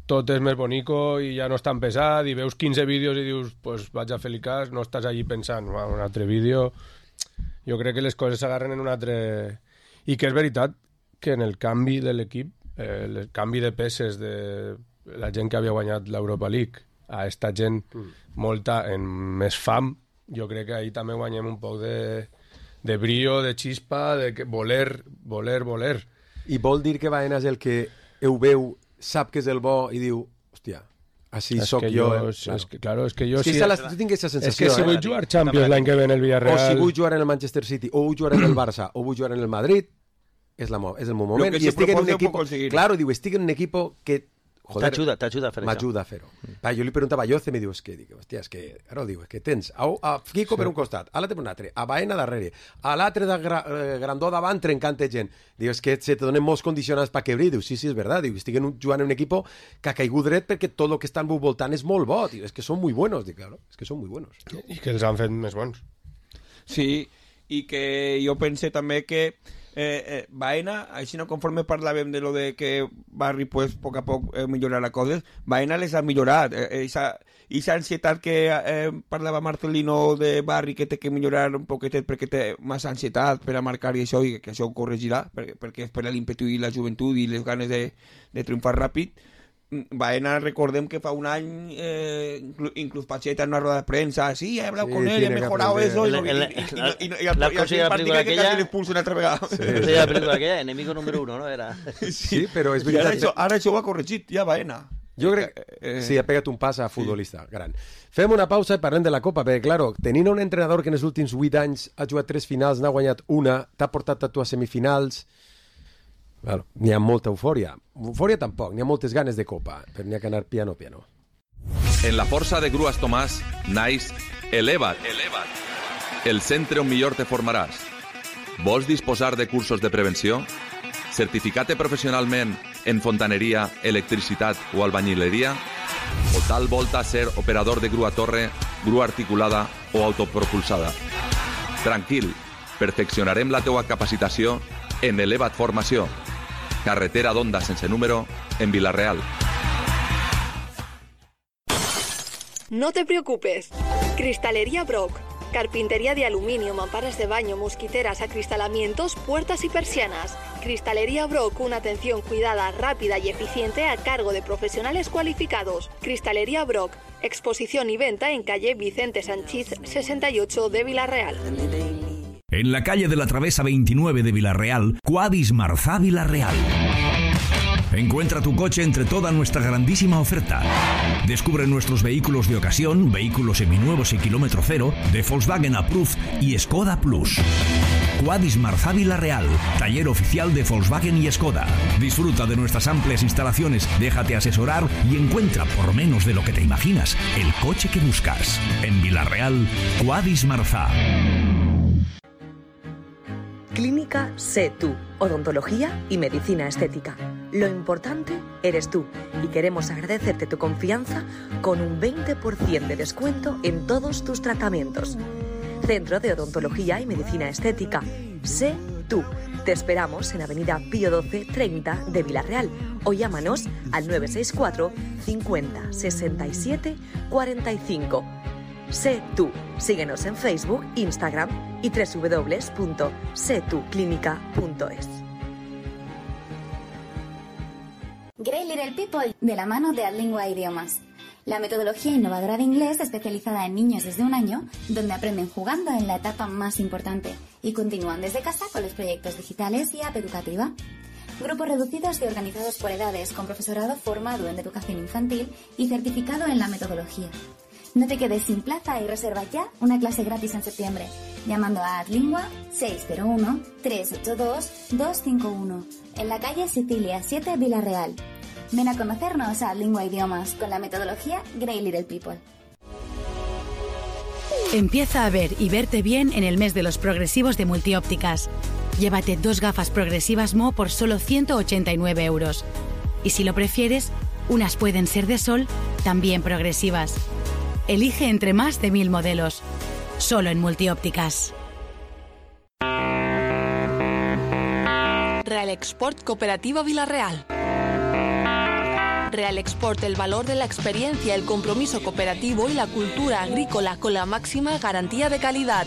Speaker 5: tot és més bonico i ja no és tan pesat i veus 15 vídeos i dius, pues vaig a fer-li cas, no estàs allí pensant, un altre vídeo. Jo crec que les coses s'agarren en un altre... I que és veritat que en el canvi de l'equip, el canvi de peces de la gent que havia guanyat l'Europa League a esta gent molta en més fam, jo crec que ahí també guanyem un poc de brillo, de xispa, de voler.
Speaker 3: I vol dir que Baena és el que ho veu, sap que és el bo i diu, hòstia, així soc jo.
Speaker 5: Claro, és que jo...
Speaker 3: Tu tinc aquesta sensació.
Speaker 5: És que si vull jugar Champions l'any que ve en el Villarreal...
Speaker 3: O si vull jugar en el Manchester City, o vull jugar en el Barça, o vull jugar en el Madrid, és el meu moment.
Speaker 7: I estic en un equip...
Speaker 3: Claro, diu, estic en un equip que...
Speaker 4: T'ajuda a fer això.
Speaker 3: M'ajuda a fer-ho. Jo li preguntava a Yoce, me diu, hòstia, és que... Ara ho diu, és que tens a Fico per un costat, a l'altre per un altre, a Baena darrere, a l'altre de Grandó davant trencant gent. Diu, és que se te donen molts condicionants per quebrir. Diu, sí, és veritat. Diu, estic jugant en un equip que ha caigut dret perquè tot el que està al meu voltant és molt bo. Diu, és que són molt buenos. Dic, claro, és que són molt buenos.
Speaker 5: I que els han fet més bons.
Speaker 7: Sí, i que jo pense també que Baena, així no conforme parlàvem de lo de que Barri pues poc a poc millorarà coses, Baena les ha millorat. Esa ansietat que parlava Marcelino de Barri, que té que millorar un poquetet perquè té massa ansietat per a marcar i això, i que això ho corregirà perquè és per l'ímpetu i la joventut i les ganes de triomfar ràpid. Baena, recordem que fa un any inclús Pacheta en una rueda de prensa, sí, he hablado con él, he mejorado eso, y
Speaker 4: la película aquella
Speaker 7: le expulsa una altra vegada.
Speaker 4: La película aquella, enemigo número 1, ¿no? Era...
Speaker 3: Sí, però és veritat.
Speaker 7: Ara això ho ha corregit, ja Baena.
Speaker 3: Jo crec que sí, ha pegat un pas a futbolista gran. Fem una pausa i parlem de la Copa, perquè, claro, tenint un entrenador que en els últims 8 anys ha jugat 3 finals, n'ha guanyat una, t'ha portat a tu a semifinals... Claro, n'hi ha molta eufòria. Eufòria tampoc, n'hi ha moltes ganes de Copa, però n'hi ha que anar piano.
Speaker 8: En la força de Grues Tomàs, naix Eleva't. El centre on millor te formaràs. Vols disposar de cursos de prevenció? Certificat professionalment en fontaneria, electricitat o albañileria? O tal volta ser operador de grua torre, grua articulada o autopropulsada? Tranquil, perfeccionarem la teua capacitació en Eleva't Formació. Carretera d'Onda sense número, en Vila-real.
Speaker 9: No te preocupes. Cristalería Brock. Carpintería de aluminio, mamparas de baño, mosquiteras, acristalamientos, puertas y persianas. Cristalería Brock, una atención cuidada, rápida y eficiente a cargo de profesionales cualificados. Cristalería Brock. Exposición y venta en calle Vicente Sanchiz, 68 de Vila-real.
Speaker 10: En la calle de la Travesa 29 de Vila-real, Quadis Marzá Vila-real. Encuentra tu coche entre toda nuestra grandísima oferta. Descubre nuestros vehículos de ocasión, vehículos seminuevos y kilómetro cero, de Volkswagen Approved y Skoda Plus. Quadis Marzá Vila-real, taller oficial de Volkswagen y Skoda. Disfruta de nuestras amplias instalaciones, déjate asesorar y encuentra, por menos de lo que te imaginas, el coche que buscas. En Vila-real, Quadis Marzá.
Speaker 11: Clínica Sé Tú, odontología y medicina estética. Lo importante eres tú y queremos agradecerte tu confianza con un 20% de descuento en todos tus tratamientos. Centro de Odontología y Medicina Estética. Sé Tú. Te esperamos en Avenida Pío 12 30 de Vila-real o llámanos al 964 50 67 45. Sé Tú. Síguenos en Facebook, Instagram y www.setuclinica.es.
Speaker 12: Great Little People, de la mano de Adlingua Idiomas. La metodología innovadora de inglés especializada en niños desde 1 año, donde aprenden jugando en la etapa más importante y continúan desde casa con los proyectos digitales y app educativa. Grupos reducidos y organizados por edades, con profesorado formado en educación infantil y certificado en la metodología. No te quedes sin plaza y reserva ya una clase gratis en septiembre, llamando a Adlingua 601-382-251, en la calle Sicilia 7, Vila-real. Ven a conocernos a Adlingua Idiomas con la metodología Great Little People.
Speaker 13: Empieza a ver y verte bien en el mes de los progresivos de Multiópticas. Llévate 2 gafas progresivas Mo por solo 189 euros. Y si lo prefieres, unas pueden ser de sol, también progresivas. Elige entre más de 1000 modelos. Solo en Multiópticas.
Speaker 9: Real Export Cooperativa Vila-real. Real Export, el valor de la experiencia, el compromiso cooperativo y la cultura agrícola con la máxima garantía de calidad.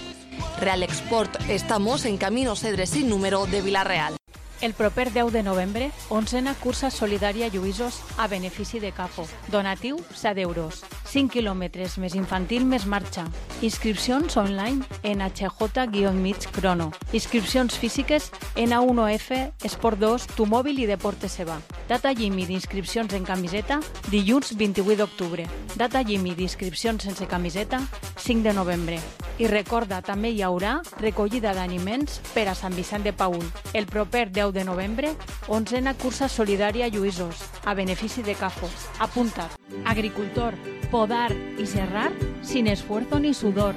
Speaker 9: Real Export, estamos en Camino Cedres sin número de Vila-real.
Speaker 14: El proper 10 de novembre, 11a cursa solidària Lluïsos a benefici de CAFO. Donatiu 7 euros. 5 quilòmetres més infantil més marxa. Inscripcions online en HJ-mig Crono. Inscripcions físiques en A1F, Esport 2, Tu Mòbil i Deportes Seba. Data límit d'inscripcions en camiseta, dilluns 28 d'octubre. Data límit d'inscripcions sense camiseta, 5 de novembre. I recorda, també hi haurà recollida d'aliments per a Sant Vicent de Paül. El proper 10 de novembre, 11a cursa solidària Lluïsos, a benefici de CAFO. Apunta't. Agricultor, podar y serrar sin esfuerzo ni sudor.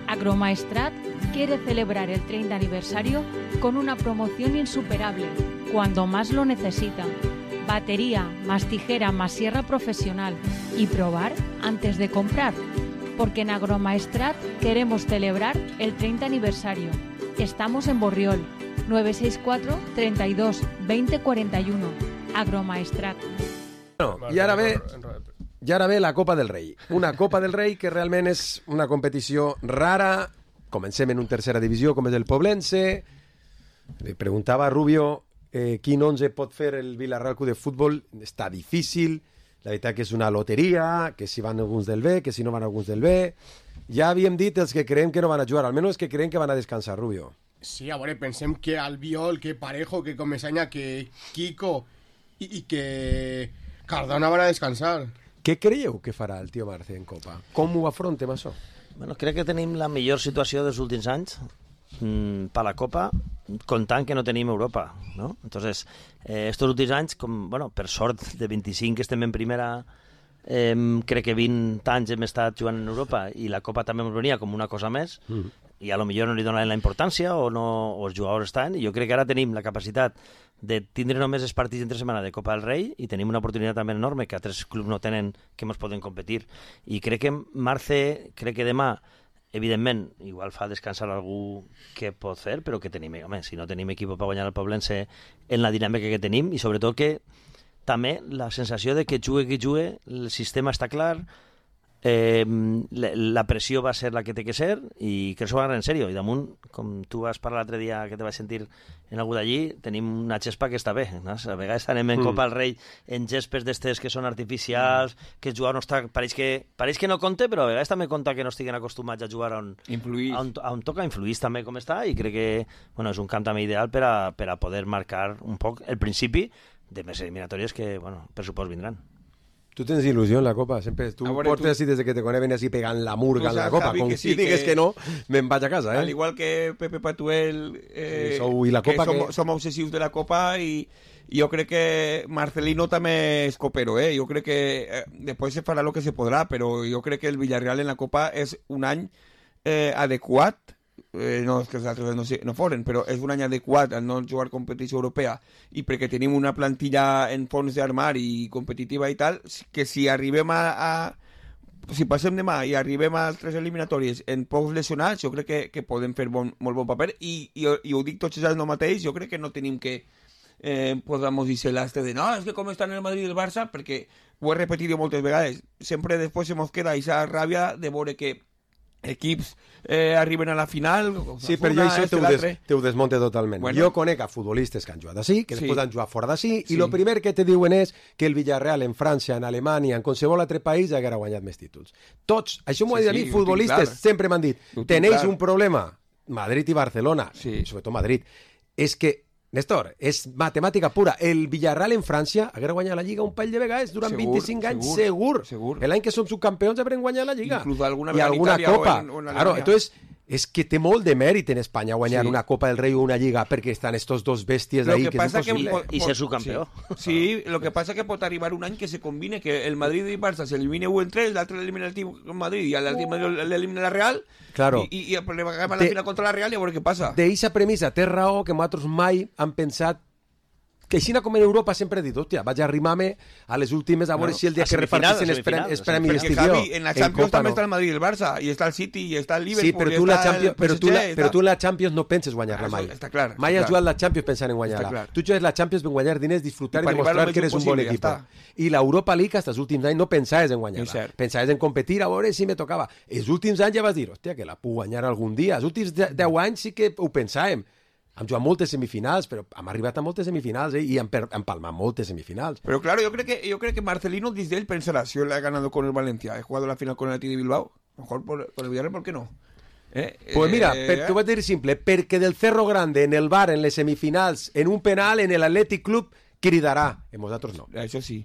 Speaker 14: Agromaestrat quiere celebrar el 30 aniversario con una promoción insuperable, cuando más lo necesita. Batería, más tijera, más sierra profesional. Y probar antes de comprar. Porque en Agromaestrat queremos celebrar el 30 aniversario. Estamos en Borriol, 964 32 20 41. Agromaestrat.
Speaker 3: Bueno, i ara ve la Copa del Rei. Una Copa del Rei que realment és una competició rara. Comencem en una tercera divisió com és el Poblense. Le preguntava a Rubio quin 11 pot fer el Vila-real Club de Futbol. Està difícil. La veritat que és una loteria, que si van alguns del B, que si no van alguns del B. Ja havíem dit els que creiem que no van a jugar, almenys els que creiem que van a descansar, Rubio.
Speaker 6: Sí, a veure, pensem que Albiol, que Parejo, que Comesaña, que Kiko i que Cardona van a descansar.
Speaker 3: Què creieu que farà el tio Marce en Copa? Com ho afrontem, això?
Speaker 4: Bueno, crec que tenim la millor situació dels últims anys per la Copa, comptant que no tenim Europa, ¿no? Entonces, estos últims anys, com, bueno, per sort de 25 que estem en primera, crec que 20 anys hem estat jugant en Europa i la Copa també ens venia com una cosa més, i a lo millor no li donaven la importància o els jugadors estan, i jo crec que ara tenim la capacitat de tindre només els partits entre setmana de Copa del Rei i tenim una oportunitat també enorme que altres clubs no tenen, que ens poden competir. I crec que Marce, crec que demà, evidentment, igual fa descansar algú que pot fer, però que tenim, home, si no tenim equip per guanyar el Poblense en la dinàmica que tenim, i sobretot que també la sensació de que jugue qui jugue, el sistema està clar, la pressió va ser la que té que ser, i crec que s'ho va agarrar en sèrio, i damunt, com tu vas parlar l'altre dia que te vaig sentir en algú d'allí, tenim una gespa que està bé, no? A vegades anem en Copa al Rei en gespes d'estes que són artificials, que el jugador no està, pareix que no compte, però a vegades també compta que no estiguen acostumats a jugar on toca, influís també com està, i crec que bueno, és un camp també ideal per a poder marcar un poc el principi de més eliminatòries que, bueno, per supost vindran.
Speaker 3: Tu tens il·lusió en la Copa, sempre. Tu portes així des que te conec així pegant la murga en la Copa. Com si digues que no, me'n vaig a casa,
Speaker 7: Al igual que Pepe Patuel,
Speaker 3: i la Copa
Speaker 7: som obsessius de la Copa i jo crec que Marcelino també és copero, Jo crec que després se farà lo que se podrà, però jo crec que el Villarreal en la Copa és un any adequat. No és que els altres no foren, però és un any adequat al no jugar competició europea i perquè tenim una plantilla en fons d'armari i competitiva i tal, que si arribem si passem demà i arribem a 3 eliminatòries en pocs lesionats, jo crec que podem fer molt bon paper i ho dic tots els anys no mateix, jo crec que no tenim que podamos dir-se l'astre de no, és que com estan el Madrid i el Barça, perquè ho he repetit moltes vegades, sempre després se mos queda aquesta ràbia de veure que equips arriben a la final.
Speaker 3: Sí, però jo això te ho desmonte totalment. Bueno. Jo conec a futbolistes que han jugat així, que després han jugat fora d'ací, i el primer que te diuen és que el Villarreal en França, en Alemanya, en qualsevol altre país haguera guanyat més títols. Tots, això m'ho ha dit a mi, futbolistes, sempre m'han dit, tenéis un problema, Madrid i Barcelona, sobretot Madrid, és que Néstor, és matemàtica pura. El Villarreal en França haguera guanyat la Lliga un parell de vegades durant 25 anys, segur. L'any que som subcampions haurem guanyat la Lliga.
Speaker 7: Inclús alguna
Speaker 3: i alguna copa.
Speaker 7: O en
Speaker 3: claro, entonces, és que té molt de mèrit en Espanya guanyar una Copa del Rei o una Lliga perquè estan estos dos bèsties ahí que és impossible.
Speaker 4: I ser subcampió.
Speaker 7: Sí, lo que passa que pot arribar un any que se combine, que el Madrid i Barça s'elimine un entre, l'altre elimina el Madrid i l'altre l'elimina la Real, i acaba la final contra la Real i a veure què passa.
Speaker 3: D'eixa premissa té raó que nosaltres mai han pensat que així com en Europa sempre he dit, hòstia, vaig a arrimar-me a les últimes a veure si el dia que repartissin els premis d'estició.
Speaker 7: En la Champions també està el Madrid i el Barça, i està el City, i està el Liverpool,
Speaker 3: però tu la Champions no penses guanyar-la mai.
Speaker 7: Està clar.
Speaker 3: Mai has jugat la Champions pensant en guanyar-la. Tu jugues la Champions per guanyar diners, disfrutar i demostrar que eres un bon equip. I l'Europa League, fins als últims anys, no pensaves en guanyar-la. Pensaves en competir, a veure si me tocava. Els últims anys ja vas dir, hòstia, que la puc guanyar algun dia. Els últims 10 anys sí que ho pensàvem. Hem jugat moltes semifinals, però hem arribat a moltes semifinals i hem palmat moltes semifinals.
Speaker 7: Pero claro, yo creo que Marcelino desde él pensará, si él ha ganado con el Valencia, he jugado la final con el Athletic de Bilbao, mejor con el Villarreal, ¿por qué no?
Speaker 3: Pues mira, t'ho vaig dir simple, perquè del Cerro Grande en el bar, en les semifinals, en un penal, en l'Athletic Club, cridarà. En vosaltres no.
Speaker 7: Això sí.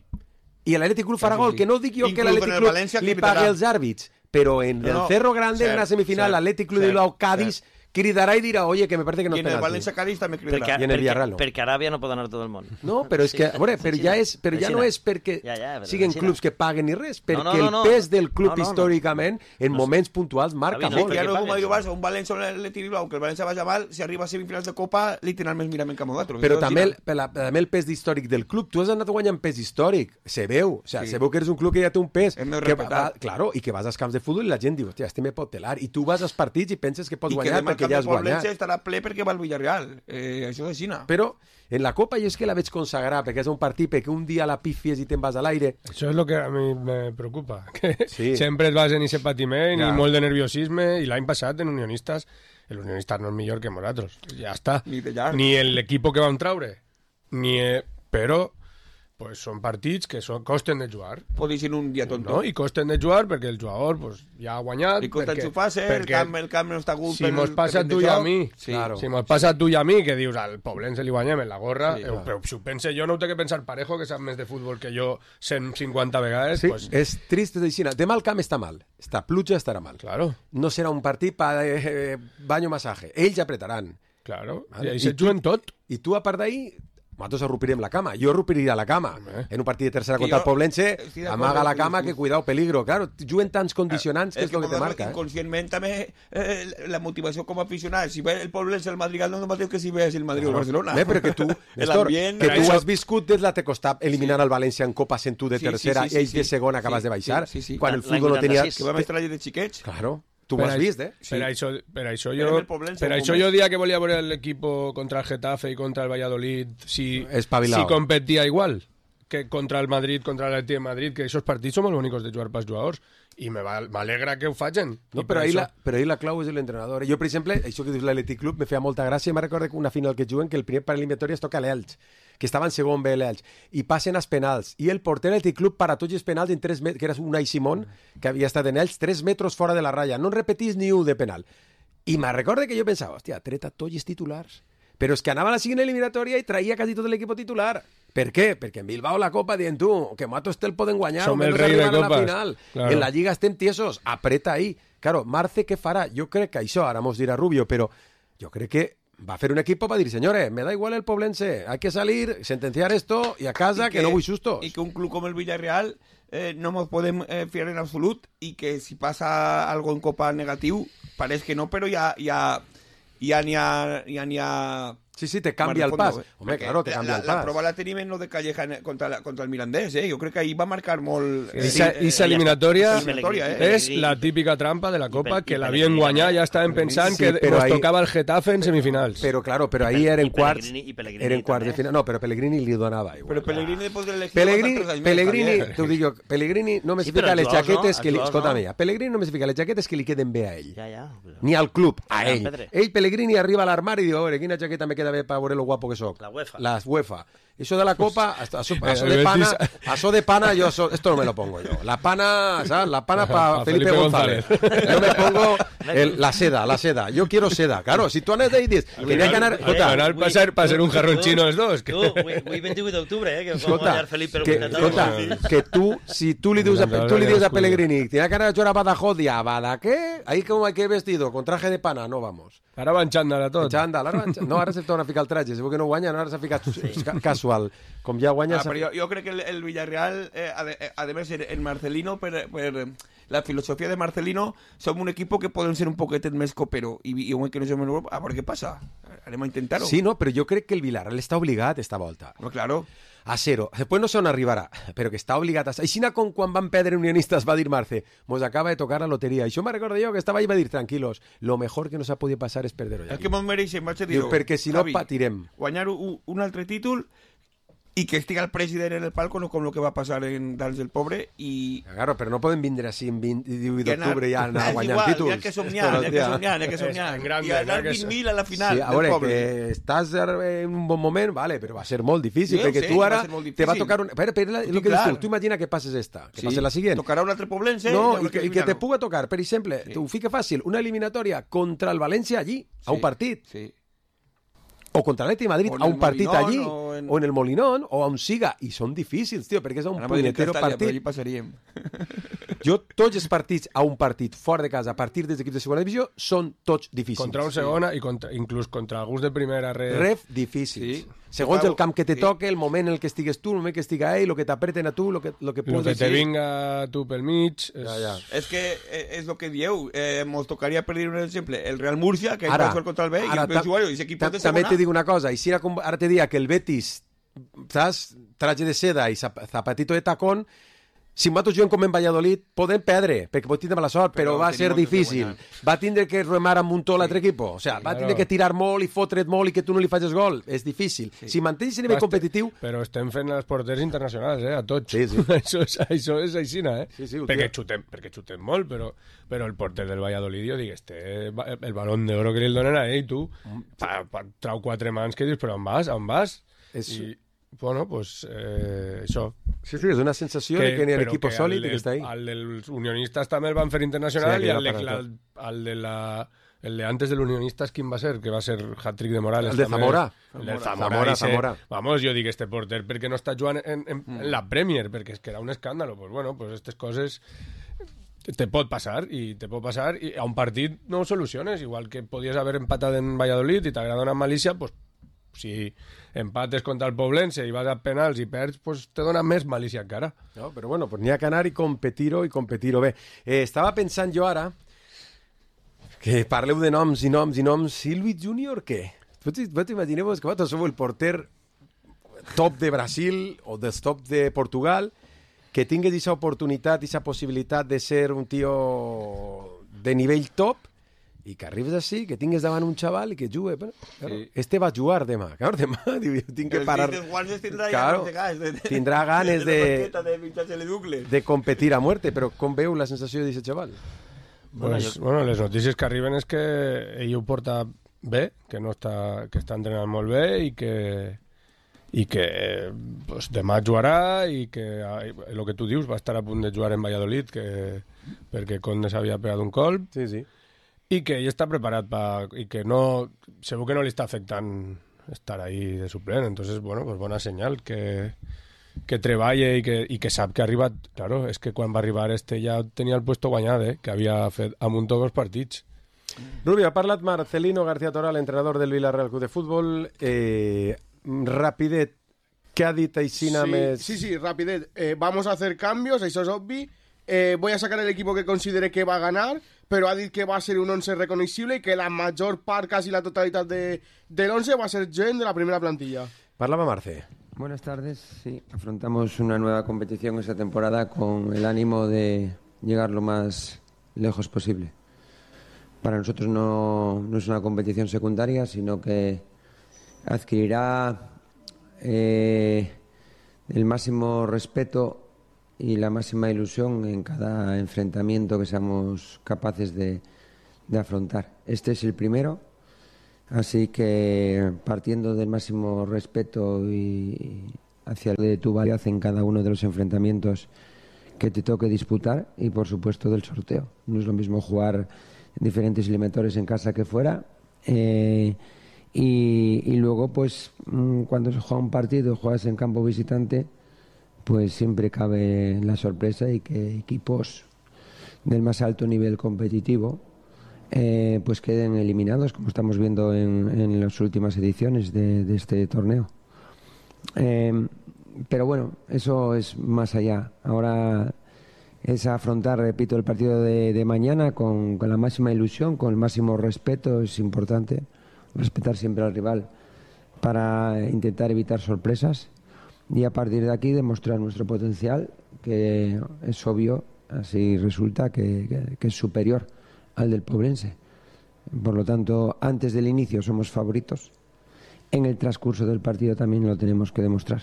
Speaker 3: I l'Athletic Club farà gol, que no dic jo que l'Athletic Club li pagui els àrbits, però en el Cerro Grande, en una semifinal, l'Athletic Club de Bilbao, Cádiz, cridarà i dirà, oye, que me parece que no és penalti.
Speaker 7: I en el València-Cádiz també cridarà.
Speaker 3: I en el Villarreal no.
Speaker 4: Perquè a Aràbia no pot anar tot el món.
Speaker 3: No, però és que, a veure, però ja no és perquè siguin clubs que paguen ni res, perquè el pes del club històricament, en moments puntuals, marca molt.
Speaker 7: Ja no és un Madrid-Barça, un València o l'Athletic Bilbao, que el València vagi mal, si arriba a semifinals de Copa, literalment mirem en camp d'altres.
Speaker 3: Però també el pes històric del club. Tu has anat guanyant pes històric. Se veu. O sea, se veu que eres un club que ja té un pes. Claro, i que vas als camps de futbol i la gent diu, hòstia, este me pot telar. I tu vas als partits i penses que pots guanyar perquè ja has guanyat.
Speaker 7: Estarà ple perquè va al Villarreal. Això és Xina.
Speaker 3: Però en la Copa jo és que la veig consagrar, perquè és un partit perquè un dia la pifies i te'n vas a l'aire.
Speaker 5: Això és el que a mi me preocupa, que sempre et vas en aquest patiment i molt de nerviosisme, i l'any passat en Unionistas, el Unionistas no és millor que nosaltres, ja està. Ni l'equip que vam traure, però pues són partits que costen de jugar.
Speaker 7: Pot ser un dia tonto.
Speaker 5: No? I costen de jugar perquè el jugador pues, ja ha guanyat.
Speaker 7: I costa enxufar-se, el camp no està gut.
Speaker 5: Si mos passa a tu i a mi, si mos passa a tu i a mi, que dius al Poblense li guanyem en la gorra, però si ho pense jo no ho té que pensar Parejo, que sap més de futbol que jo 150 vegades.
Speaker 3: Sí, pues... és trist de dir, demà el camp està mal, està pluja, estarà mal.
Speaker 5: Claro.
Speaker 3: No serà un partit per baño masaje. Ells apretaran.
Speaker 5: Claro, i se juguen tot.
Speaker 3: I tu, a part d'ahir, nosaltres arrupiríem la cama. Jo arrupiria la cama. En un partit de tercera contra el Poblense, amaga la cama, que cuidado, peligro. Claro, juguen tants condicionants que és el que te marca.
Speaker 7: Inconscientment també la motivació com a aficionat. Si ve el Poblense, el Madrid, no és el mateix que si ves el Madrid o el Barcelona.
Speaker 3: Però que tu, Néstor, que tu has viscut des la te costat eliminar el València en Copa sent tu de tercera i ells de segona acabes de baixar, quan el futbol no tenia...
Speaker 7: Que vam estar allà de xiquets.
Speaker 3: Claro. Tu ho has vist,
Speaker 5: Per això jo dia que volia veure l'equip contra el Getafe i contra el Valladolid si competia igual que contra el Madrid, contra l'Atlètic de Madrid, que aquests partits són molt bonics de jugar pels jugadors. I m'alegra que ho facin.
Speaker 3: No, però ahir la clau és l'entrenador. Jo, per exemple, això que dius l'Atlètic Club me feia molta gràcia. Me'n recordo que una final que juguen, que el primer per eliminatori es toca l'Elx, que estava en segon B l'Elx, i passen als penals. I el porter de l'Atlètic Club para tots els penals en 3 metres, que era Unai Simón, que havia estat en Elx, 3 metres fora de la ratlla. No en repetís ni un de penal. I me'n recordo que jo pensava, hòstia, treta tots els titulars. Però és que anava a la següent eliminatòria i traia quasi tot l'equip titular. Per què? Perquè en Bilbao la Copa dient tu, que nosaltres te'l poden guanyar
Speaker 5: Som
Speaker 3: o
Speaker 5: el
Speaker 3: menys
Speaker 5: rei de
Speaker 3: arribar a la
Speaker 5: copes.
Speaker 3: final.
Speaker 5: Claro.
Speaker 3: En la Lliga estem tiesos, apreta ahí. Claro, Marce què farà? Jo crec que això, ara mos dirà Rubio, però jo crec que va a hacer un equipo para decir, señores, me da igual el poblense, hay que salir, sentenciar esto y a casa, que no vull sustos.
Speaker 7: Y que un club como el Villarreal no nos podem fiar en absolut y que si pasa algo en Copa negativo, parece que no, pero ya ni a
Speaker 3: Sí, te cambia el pas. Hombre, claro, te cambia el pas.
Speaker 7: La prova la tenim en lo de Calleja contra el Mirandés, Jo crec que ahí va marcar molt...
Speaker 5: Esa eliminatoria és
Speaker 7: eh?
Speaker 5: la típica trampa de la Copa, que l'havien guanyat, ja estaven pensant que nos tocava el Getafe en semifinals.
Speaker 3: Pero claro, pero ahí era en quarts de final. No, pero Pellegrini li donava igual.
Speaker 7: Però Pellegrini després de l'elecció...
Speaker 3: Pellegrini, t'ho dic jo, Pellegrini no me fica les jaquetes que li... Escolta, mira, Pellegrini no me fica les jaquetes que li queden bé a ell. Ni al club, a ell. Ell, Pellegrini, arriba a l'armari i diu, a veure, quina jaqueta me queda bé per veure lo guapo que soc. La UEFA. Eso de la Copa, eso de pana, yo esto no me lo pongo yo. La pana, ¿sabes? La pana para Felipe González. Yo me pongo la seda. Yo quiero seda. Claro, si tú andes de ahí dices, quería ganar...
Speaker 5: Ganar para ser un jarrón chino los dos.
Speaker 4: Tu, avui 28 d'octubre, que va guanyar Felipe
Speaker 3: González. Que tú, si tú le dius a Pellegrini, tienes ganas de jugar a Badajoz y a Badaqué, ahí como hay que ir vestido, con traje de pana, no vamos.
Speaker 5: Ara va en xandall a tot.
Speaker 3: No, ara se torna a ficar el traje, segur que no guanya, ara s'ha ficat casual. Com ja guanya...
Speaker 7: Però jo crec que el Villarreal, además, el Marcelino, per la filosofia de Marcelino, som un equipo que podem ser un poquetet més copero, i un que no som en Europa, a veure què passa. Anem a intentar-ho.
Speaker 3: Sí, no, però jo crec que el Villarreal està obligat esta volta.
Speaker 7: No, claro.
Speaker 3: A zero. Después no sé on arribarà, però que està obligat a... Així com quan van perdre Unionistas va dir Marce, mos acaba de tocar la loteria. I això me recordo jo que estava ahí i va dir, tranquilos, lo mejor que nos ha podido pasar es perder hoy.
Speaker 7: El que mos mereixem, vaig a dir-ho.
Speaker 3: Perquè si no patirem.
Speaker 7: Guanyar un altre títol i que estiga el president en el palco, no com el que va passar en Dans del Pobre, i...
Speaker 3: Claro, però no podem vindre així en 18 d'octubre i anar guanyant títols.
Speaker 7: Hi ha que somiar. I anar 20.000 a la final
Speaker 3: del Pobre. Que estàs en un bon moment, vale, però va ser molt difícil, perquè tu ara te va tocar... Però el que dius tu imagina que passes esta, que passes la siguiente.
Speaker 7: Tocarà un altre poblense.
Speaker 3: No, i que te puga tocar, per exemple, t'ho fica fàcil, una eliminatòria contra el València allí, a un partit. Sí. O contra l'Atlètic de Madrid a un partit allí, o en el Molinón, o on siga. I són difícils, tio, perquè és un punyetero partit.
Speaker 7: Allí passaríem.
Speaker 3: Jo, tots els partits a un partit fora de casa, a partir dels equips de segona divisió, són tots difícils.
Speaker 5: Contra un segona i inclús contra alguns de primera
Speaker 3: ref difícils. Sí. Segons el camp que te toque, el moment en el que estigues tu, el moment que estiga ell, el que t'apreten a tu, el que puguis...
Speaker 5: El que te vinga tu pel mig...
Speaker 7: És que és el que dieu. Mos tocaria, per dir un exemple, el Real Murcia, que va jugar contra el B, i el Benjuario, i l'equip de segona...
Speaker 3: També te dic una cosa, i si ara te diria que el Betis, saps, traje de seda i zapatito de tacón, si nosaltres juguem com en Valladolid, podem perdre, perquè pot tindre mala sort, però va ser difícil. Va tindre que remar amb un to l'altre equip. O sigui, va tindre que tirar molt i fotre't molt i que tu no li facis gol. És difícil. Si mantens el nivell competitiu...
Speaker 5: Però estem fent els porters internacionals, a tots.
Speaker 3: Sí.
Speaker 5: Això és aixina,
Speaker 3: Sí,
Speaker 5: perquè xutem molt, però el porter del Valladolid, jo dic, el balón d'oro que li donen a ell, tu, trau 4 mans que dius, però on vas? Bueno, pues això.
Speaker 3: Sí, és una sensació de que n'hi ha un equip sòlid que està ahí.
Speaker 5: El dels unionistes també el van fer internacional i el de antes del unionistas, ¿quién va a ser? Que va a ser hat-trick de Morales.
Speaker 3: El de Zamora.
Speaker 5: El de Zamora. Vamos, jo dic, este porter perquè no està jugant en la Premier, perquè és que era un escàndalo. Pues bueno, pues aquestes coses te pot passar i a un partit no ho soluciones, igual que podies haver empatat en Valladolid i t'agrada una malícia, pues si empates contra el Poblense i vas a penals i perds, pues te dona més malícia encara.
Speaker 3: No, però bueno, pues n'hi ha que anar i competir-ho bé. Estava pensant jo ara que parleu de noms i noms. Silvi Júnior, què? Vos imagineu que vosaltres sou el porter top de Brasil o del top de Portugal, que tingues aquesta oportunitat, aquesta possibilitat de ser un tio de nivell top, i que arribes així, que tingues davant un xaval i que jugue. Bueno, claro, este va a jugar demà. Claro, demà tinc que parar. Claro, tindrà ganes de competir a muerte, però com veu la sensació d'aquest xaval?
Speaker 5: Pues, bueno, les notícies que arriben és que ell ho porta bé, que està entrenant molt bé i que pues, demà jugarà i que el que tu dius va estar a punt de jugar en Valladolid perquè Conde s'havia pegat un colp.
Speaker 3: Sí.
Speaker 5: I que ell està preparat i que no, segur que no li està afectant estar ahí de suplent. Entonces, bueno, pues bona senyal que treballa i que sap que ha arribat. Claro, és que quan va arribar ja tenia el puesto guanyat, que havia fet amunt tots els partits.
Speaker 3: Rubio, ha parlat Marcelino García Toral, entrenador del Villarreal Club de Fútbol. Rapidet, què ha dit Aixina més?
Speaker 6: Sí, rapidet. Vamos a hacer cambios, això és obvi. Voy a sacar el equipo que considere que va a ganar, pero ha dit que va a ser un 11 reconocible y que la mayor part, casi la totalidad del 11 va a ser gent de la primera plantilla.
Speaker 3: Parlava Marce.
Speaker 15: Buenas tardes. Sí, afrontamos una nueva competición esta temporada con el ánimo de llegar lo más lejos posible. Para nosotros no es una competición secundaria, sino que adquirirá el máximo respeto y la máxima ilusión en cada enfrentamiento que seamos capaces de afrontar. Este es el primero, así que partiendo del máximo respeto y hacia de tu validad en cada uno de los enfrentamientos que te toque disputar y por supuesto del sorteo. No es lo mismo jugar diferentes eliminatorios en casa que fuera y luego pues cuando se juega un partido, juegas en campo visitante, pues siempre cabe la sorpresa y que equipos del más alto nivel competitivo pues queden eliminados, como estamos viendo en las últimas ediciones de este torneo. Pero bueno, eso es más allá. Ahora es afrontar, repito, el partido de mañana con la máxima ilusión, con el máximo respeto. Es importante respetar siempre al rival para intentar evitar sorpresas y a partir de aquí demostrar nuestro potencial, que es obvio, así resulta que es superior al del Poblense. Por lo tanto, antes del inicio somos favoritos. En el transcurso del partido también lo tenemos que demostrar.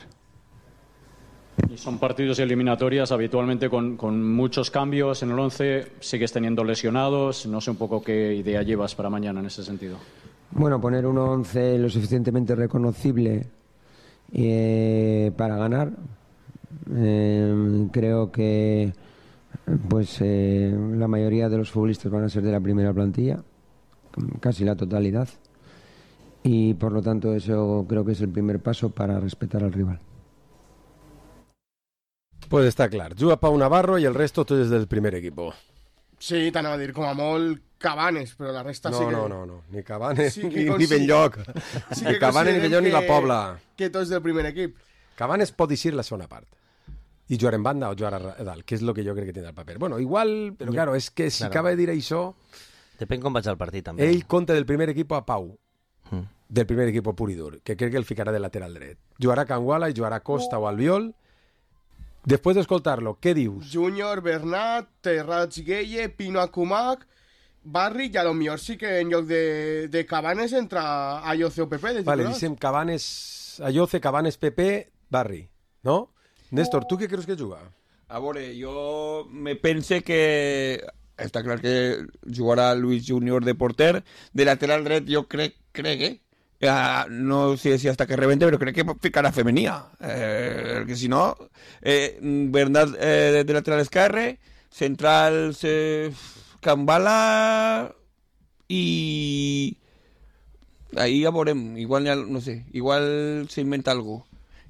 Speaker 16: Y son partidos eliminatorias habitualmente con muchos cambios en el 11, sigues teniendo lesionados, no sé un poco qué idea llevas para mañana en ese sentido.
Speaker 15: Bueno, poner un 11 lo suficientemente reconocible para ganar. Creo que pues la mayoría de los futbolistas van a ser de la primera plantilla, casi la totalidad, y por lo tanto eso creo que es el primer paso para respetar al rival.
Speaker 3: Pues està clar, juga Pau Navarro i el resto tot és del primer equipo.
Speaker 6: Sí, t'anava a dir, com a molt Cabanes, però la resta sí que...
Speaker 3: No, ni Cabanes,
Speaker 6: sí
Speaker 3: ni Benlloc.
Speaker 6: Sí
Speaker 3: ni Cabanes, ni Benlloc, ni la Pobla.
Speaker 6: Que tots del primer equip.
Speaker 3: Cabanes pot eixir la segona part. I jugar en banda o jugar a dalt, que és el que jo crec que tindrà el paper. Bueno, igual, però claro, és que si acaba de dir això...
Speaker 4: Depèn com vaig al partit, també.
Speaker 3: Ell compta del primer equip a Pau. Del primer equip pur i dur, que crec que el ficarà de lateral dret. Jugarà Canguala i jugarà Costa o Albiol. Després d'escoltar-lo, què dius?
Speaker 6: Júnior, Bernat, Terrats Gueye, Pino Akumak, Barri, i a lo millor sí que en lloc de Cabanes entra Ayoce o Pepe.
Speaker 3: Vale, dicem Cabanes, Ayoce, Cabanes, Pepe, Barri, no? Néstor, tu què creus que juga?
Speaker 7: A veure, jo me pense que... Està clar que jugarà Luis Júnior de porter. De lateral dret jo crec no sé si hasta que rebente, però crec que ficarà Femenia. Que si no, Bernat de lateral esquerre, centrals Cambala i ahí ja veurem, igual no sé, igual s'inventa algo.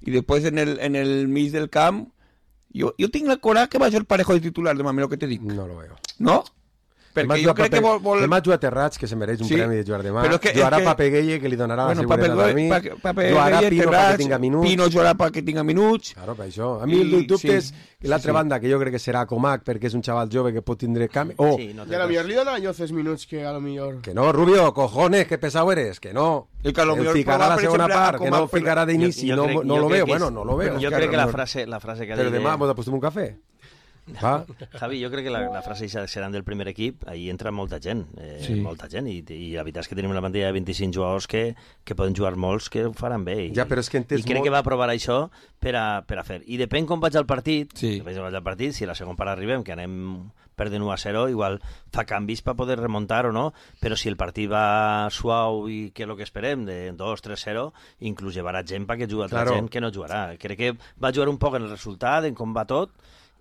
Speaker 7: I després en el mig del camp jo tinc la cora que va ser parejo de titular, demà, mira el que te dic.
Speaker 3: No lo veo.
Speaker 7: No? Perquè jo crec que vol...
Speaker 3: Demà juga Terrats, que se mereix un premi de jugar demà. Jugarà Pape Gueye, que li donarà la seguretat a mi. Jugarà Pino perquè tinga minuts.
Speaker 7: Pino jugarà perquè tinga minuts.
Speaker 3: Claro, per això. A mi el dubte és l'altra banda, que jo crec que serà Comac, perquè és un xaval jove que pot tindre canvi.
Speaker 6: I a lo millor li dona a Lloces minuts, que a lo millor...
Speaker 3: Que no, Rubio, cojones, que pesado eres, que no. El ficarà la segona part, que no el ficarà d'inici, no lo veo. Bueno, no lo veo.
Speaker 4: Jo crec que la frase que ha dit...
Speaker 3: Però demà m'ho apostem un cafè. Va.
Speaker 4: Javi, jo crec que la frase seran del primer equip, ahí entra molta gent, molta gent, i la veritat és que tenim una plantilla de 25 jugadors que poden jugar molts, que ho faran bé, i crec que va aprovar això per a fer, i depèn com vaig al partit, si la segona part arribem, que anem perdent 1-0, igual fa canvis per poder remuntar o no, però si el partit va suau i que és el que esperem, de 2-3-0, inclús llevarà gent perquè juga altra gent que no jugarà. Crec que va jugar un poc en el resultat, en com va tot,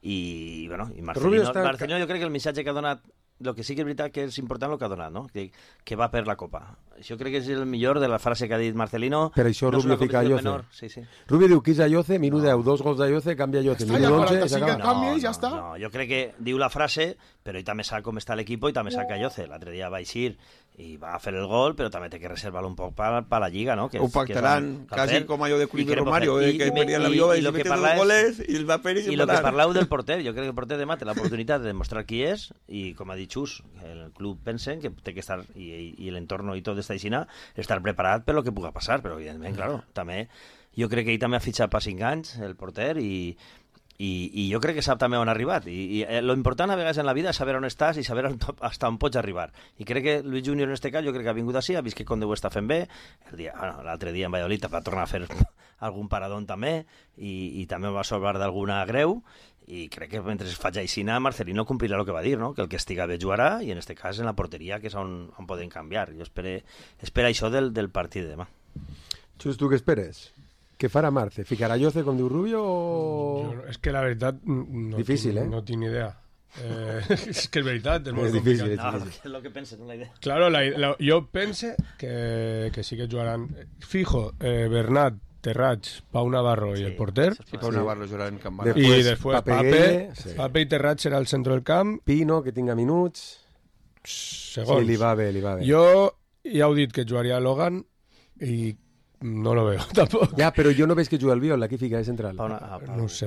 Speaker 4: i Marcelino jo crec que el missatge que ha donat, el que sí que és veritat que és important el que ha donat, no? que va per la Copa, Això crec que és el millor de la frase que ha dit Marcelino.
Speaker 3: Per això
Speaker 4: no
Speaker 3: Rubio fica Ayoce.
Speaker 4: Sí, sí.
Speaker 3: Rubio diu que és Ayoce, minut 10, 2 gols d'Ayoce, canvia Ayoce, minut 11 i s'acaba.
Speaker 4: No, jo crec que diu la frase, però ell també sap com està l'equip i també sap que Ayoce l'altre dia va eixir i va fer el gol, però també té que reservar-lo un poc per la Lliga, no? Que
Speaker 7: ho pactaran, quasi com allò de Cuido Romario, que perdia l'avió i mete 2 goles i el va fer i
Speaker 4: I el que parleu del porter, jo crec que el porter demà té l'oportunitat de demostrar qui és i, com ha dit Xus, el club pensen que té que estar, i l'entorn i tot està aixina, estar preparat per lo que puga passar, però evidentment, claro, també, jo crec que ell també ha fitxat per 5 anys, el porter, i jo crec que sap també on ha arribat i lo important a vegades en la vida és saber on estàs i saber hasta on pots arribar i crec que Luis Junior en este cas jo crec que ha vingut així, ha vist que Conde ho està fent bé l'altre dia en Valladolid va tornar a fer algun paradón també i també va salvar d'alguna greu i crec que mentre es faci aixina Marcelino complirà el que va dir, no? Que el que estiga bé jugarà i en este cas en la porteria que és on poden canviar jo espero això del partit de demà.
Speaker 3: Xus, tu què esperes? Què farà Marce? ¿Ficarà Ayoce com diu Rubio o...?
Speaker 5: Es que la veritat no,
Speaker 3: difícil,
Speaker 5: no tinc idea. És que és veritat, és molt
Speaker 3: difícil.
Speaker 4: No, és el que penses, no la idea.
Speaker 5: Claro, jo pense que sí que jugaran fijo, Bernat, Terrats, Pau Navarro y el porter.
Speaker 7: Sí, Pau Navarro jugarà en Camp
Speaker 5: Y después Pape y Terrats serà el centre del camp.
Speaker 3: Pino, que tinga minuts.
Speaker 5: Segons.
Speaker 3: Sí, li va bé.
Speaker 5: Jo ja heu dit que jugaria Logan i no lo veo tampoc.
Speaker 3: Ja, però jo no veig que juga el Biol, aquí fica de central.
Speaker 5: No sé.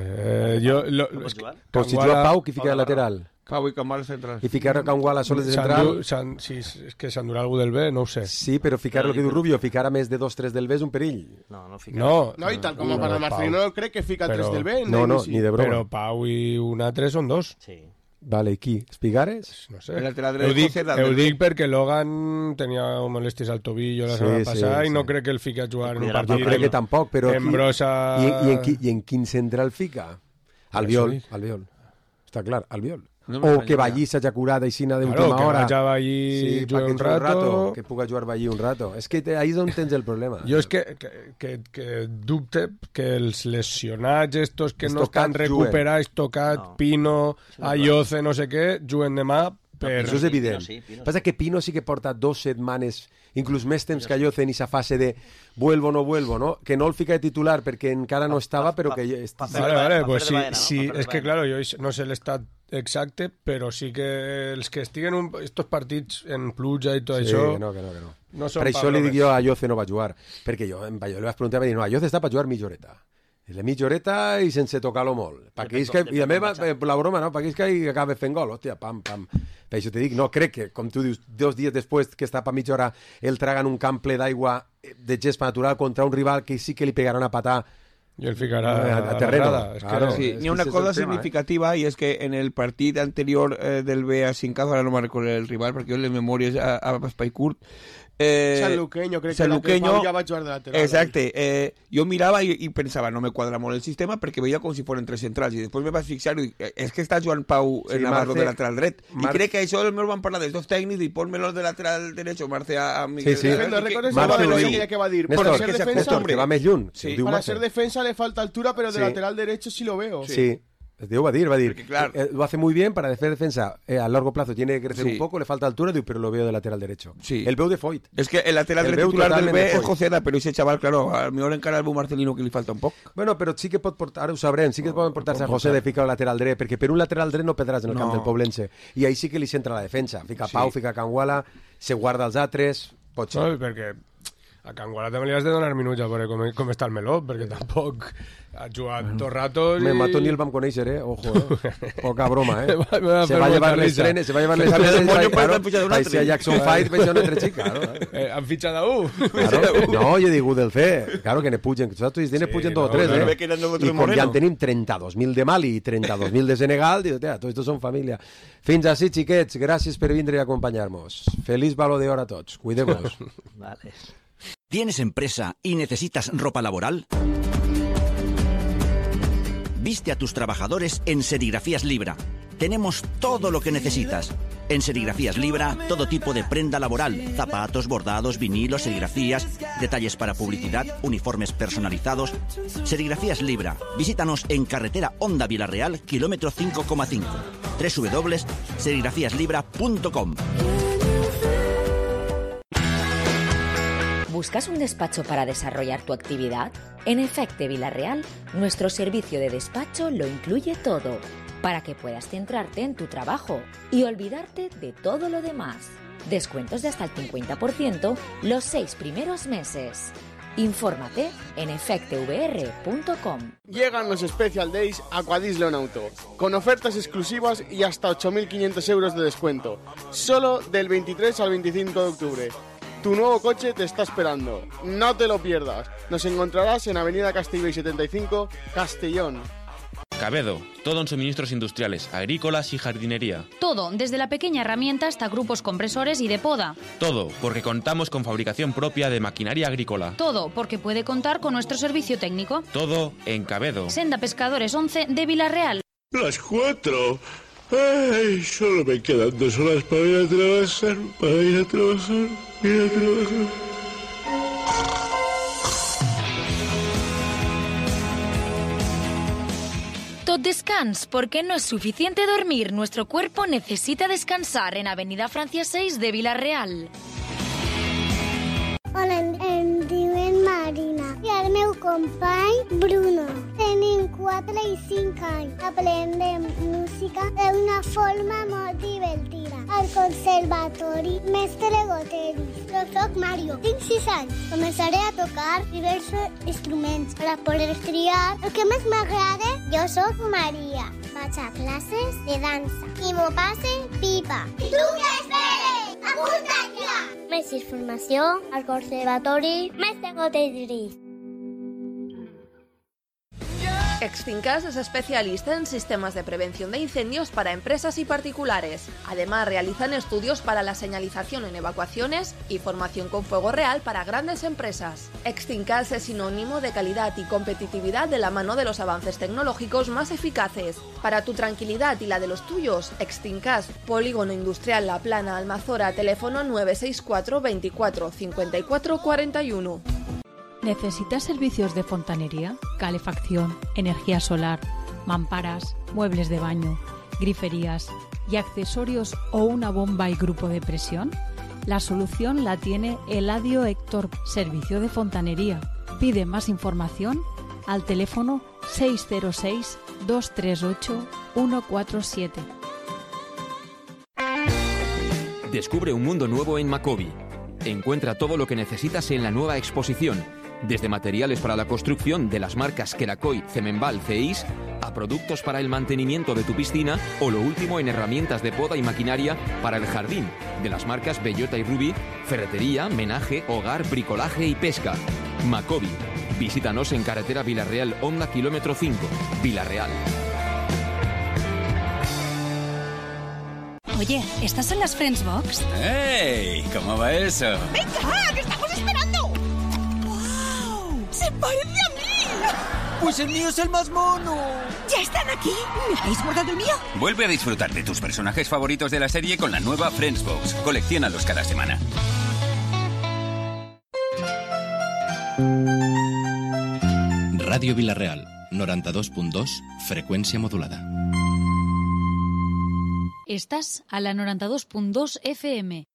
Speaker 3: Però si juga Pau, qui fica de lateral?
Speaker 7: Pau i Camal central.
Speaker 3: I ficar a Canguala soles de central?
Speaker 5: Sí, és que s'endurà algú del B, no ho sé.
Speaker 3: Sí, però ficar el que diu Rubio, ficar a més de 2-3 del B és un perill.
Speaker 4: No ficar.
Speaker 6: No, i tal com para Marcelino crec que fica 3 del B.
Speaker 3: No, ni de broma.
Speaker 5: Però Pau i un altre són 2.
Speaker 4: Sí.
Speaker 3: Vale, i qui? Espigares?
Speaker 5: No sé. Ho dic perquè Logan tenia molèsties al tobillo la setmana passada i no crec que el fica a jugar en un partit.
Speaker 3: Jo crec que tampoc, però...
Speaker 5: Embrosa...
Speaker 3: I en quin centre el fica? Albiol. Està clar, Albiol. O que Vallí s'hagi curat aixina d'última hora.
Speaker 5: Que vagi Vallí jugar un rato.
Speaker 3: Que puga jugar Vallí un rato. És que ahí és on tens el problema.
Speaker 5: Jo és que dubte que els lesionats estos que no estan recuperats, Tocat, Pino, Ayoce, no sé què, juguen demà per...
Speaker 3: Això és evident. Passa que Pino sí que porta 2 setmanes, inclús més temps que Ayoce en aquesta fase de vuelvo o no vuelvo, no? Que no el fica de titular perquè encara no estava, però que...
Speaker 5: Vale, pues sí, és que, claro, jo no sé l'estat exacte, però sí que els que estiguen estos partits en pluja i tot això...
Speaker 3: No. Per això li dic jo a Ayoce no va jugar, perquè jo en Valladolid li vaig preguntar i va dir, no, Ayoce està per jugar mitja horeta. De mitja horeta i sense tocar-lo molt. I a mi la broma, no? Perquè és que acaba fent gol, hòstia, pam. Per això te dic, no, crec que, com tu dius, 2 dies després que està per mitja hora el tragan un camp ple d'aigua de gespa natural contra un rival que sí que li pegarà una patà
Speaker 5: i el ficarà
Speaker 3: a terreno.
Speaker 7: Sí, hi ha una cosa significativa i és que en el partit anterior del B a Cincazo, ara no me'n recordo el rival perquè jo les memòries a espai curt,
Speaker 6: San Luqueño, crec que Pau ja va jugar de lateral.
Speaker 7: Exacte. Jo mirava i pensava, no me quadra molt el sistema perquè veia com si foren 3 centrals i després me vaig fixar i dic, és que està jugant Pau Navarro de lateral dret. I crec que això el meu van parlar dels 2 tècnics i ponme-los de lateral derecho, Marce a Miguel.
Speaker 3: Sí.
Speaker 6: No recordes que va dir.
Speaker 3: Néstor, que va més lluny.
Speaker 6: Para ser defensa le falta altura, pero de lateral derecho sí lo veo.
Speaker 3: Sí. Va a decir, claro, lo hace muy bien para hacer defensa a largo plazo, tiene que crecer un poco, le falta altura, pero lo veo de lateral derecho. El veu de Foyt.
Speaker 7: Es que el lateral titular del B es Joseda, pero ese chaval, claro, a lo mejor encara el Marcelino que le falta un poco.
Speaker 3: Bueno, però sí que pot portar, ara ho sabrem, sí que pot portar-se a José de ficar el lateral dret, perquè per un lateral dret no perdràs en el camp del Poblense, i ahí sí que li centra la defensa, fica Pau, fica Canguala, se guarda els altres, pot ser.
Speaker 5: No, perquè a Canguala també li has de donar minuts a veure com està el meló, perquè tampoc ha jugat tot rato.
Speaker 3: Mato ni el vam conèixer, ojo, poca broma, se va llevar les trenes, país a Jackson Fight, veig una altra xica.
Speaker 5: Han fitxat a un.
Speaker 3: No, jo dic del fe, claro que ne pugen, nosaltres pugen 2 o 3, i com ja en tenim 32.000 de Mali i 32.000 de Senegal, dic, tots estos són família. Fins així, xiquets, gràcies per vindre i acompanyar-nos. Feliç Baló d'Or a tots, cuideu-vos.
Speaker 4: Vale.
Speaker 17: ¿Tienes empresa y necesitas ropa laboral? Viste a tus trabajadores en Serigrafías Libra. Tenemos todo lo que necesitas. En Serigrafías Libra, todo tipo de prenda laboral, zapatos, bordados, vinilos, serigrafías, detalles para publicidad, uniformes personalizados. Serigrafías Libra. Visítanos en carretera Honda Vilarreal, kilómetro 5,5. www.serigrafiaslibra.com.
Speaker 11: ¿Buscas un despacho para desarrollar tu actividad? En Efecte Vila-real, nuestro servicio de despacho lo incluye todo, para que puedas centrarte en tu trabajo y olvidarte de todo lo demás. Descuentos de hasta el 50% los 6 primeros meses. Infórmate en efectevr.com.
Speaker 6: Llegan los Special Days a Aquadisleon Auto, con ofertas exclusivas y hasta 8.500 euros de descuento, solo del 23 al 25 de octubre. Tu nuevo coche te está esperando, no te lo pierdas. Nos encontrarás en Avenida Castellbell 75, Castellón.
Speaker 18: Cabedo, todo en suministros industriales, agrícolas y jardinería.
Speaker 19: Todo, desde la pequeña herramienta hasta grupos compresores y de poda.
Speaker 18: Todo, porque contamos con fabricación propia de maquinaria agrícola.
Speaker 19: Todo, porque puede contar con nuestro servicio técnico.
Speaker 18: Todo en Cabedo.
Speaker 19: Senda Pescadores 11 de Vila-real.
Speaker 20: Las 4. Ay, solo me quedan 2 horas para ir a trabajar,
Speaker 19: Tot descans, porque no es suficiente dormir. Nuestro cuerpo necesita descansar en Avenida Francia 6 de Vila-real.
Speaker 21: Hola, em diuen Marina i el meu company Bruno. Tenim 4 i 5 anys. Aprendem música d'una forma molt divertida. Al conservatori Mestre Goteris. Jo soc Mario, tinc 6 anys. Començaré a tocar diversos instruments per poder triar el que més m'agrada. Jo soc Maria. Vaig a classes de dansa i m'ho passe pipa. I tu què esperes? Apunta't ja! Més informació al Conservatori Mestre Goteris.
Speaker 9: Extincas es especialista en sistemas de prevención de incendios para empresas y particulares. Además, realizan estudios para la señalización en evacuaciones y formación con fuego real para grandes empresas. Extincas es sinónimo de calidad y competitividad de la mano de los avances tecnológicos más eficaces. Para tu tranquilidad y la de los tuyos, Extincas, Polígono Industrial La Plana, Almazora, teléfono 964 24 54 41.
Speaker 14: ¿Necesitas servicios de fontanería, calefacción, energía solar, mamparas, muebles de baño, griferías y accesorios o una bomba y grupo de presión? La solución la tiene Eladio Héctor, servicio de fontanería. Pide más información al teléfono 606 238 147.
Speaker 22: Descubre un mundo nuevo en Macobi. Encuentra todo lo que necesitas en la nueva exposición. Desde materiales para la construcción de las marcas Kerakoy, Cemenbal, Ceis, a productos para el mantenimiento de tu piscina o lo último en herramientas de poda y maquinaria para el jardín, de las marcas Bellota y Rubí, ferretería, menaje, hogar, bricolaje y pesca. Macobi. Visítanos en carretera Vila-real, Honda, kilómetro 5, Vila-real.
Speaker 13: Oye, ¿estas son las Friends Box?
Speaker 23: ¡Ey! ¿Cómo va eso?
Speaker 24: ¡Venga, que estamos esperando! ¡Wow! ¡Se parece a mí!
Speaker 23: ¡Pues el mío es el más mono!
Speaker 24: ¿Ya están aquí? ¿Me habéis guardado el mío?
Speaker 23: Vuelve a disfrutar de tus personajes favoritos de la serie con la nueva Friends Box. Colecciónalos cada semana.
Speaker 25: Ràdio Vila-real, 92.2, freqüència modulada.
Speaker 14: Estás a la 92.2 FM.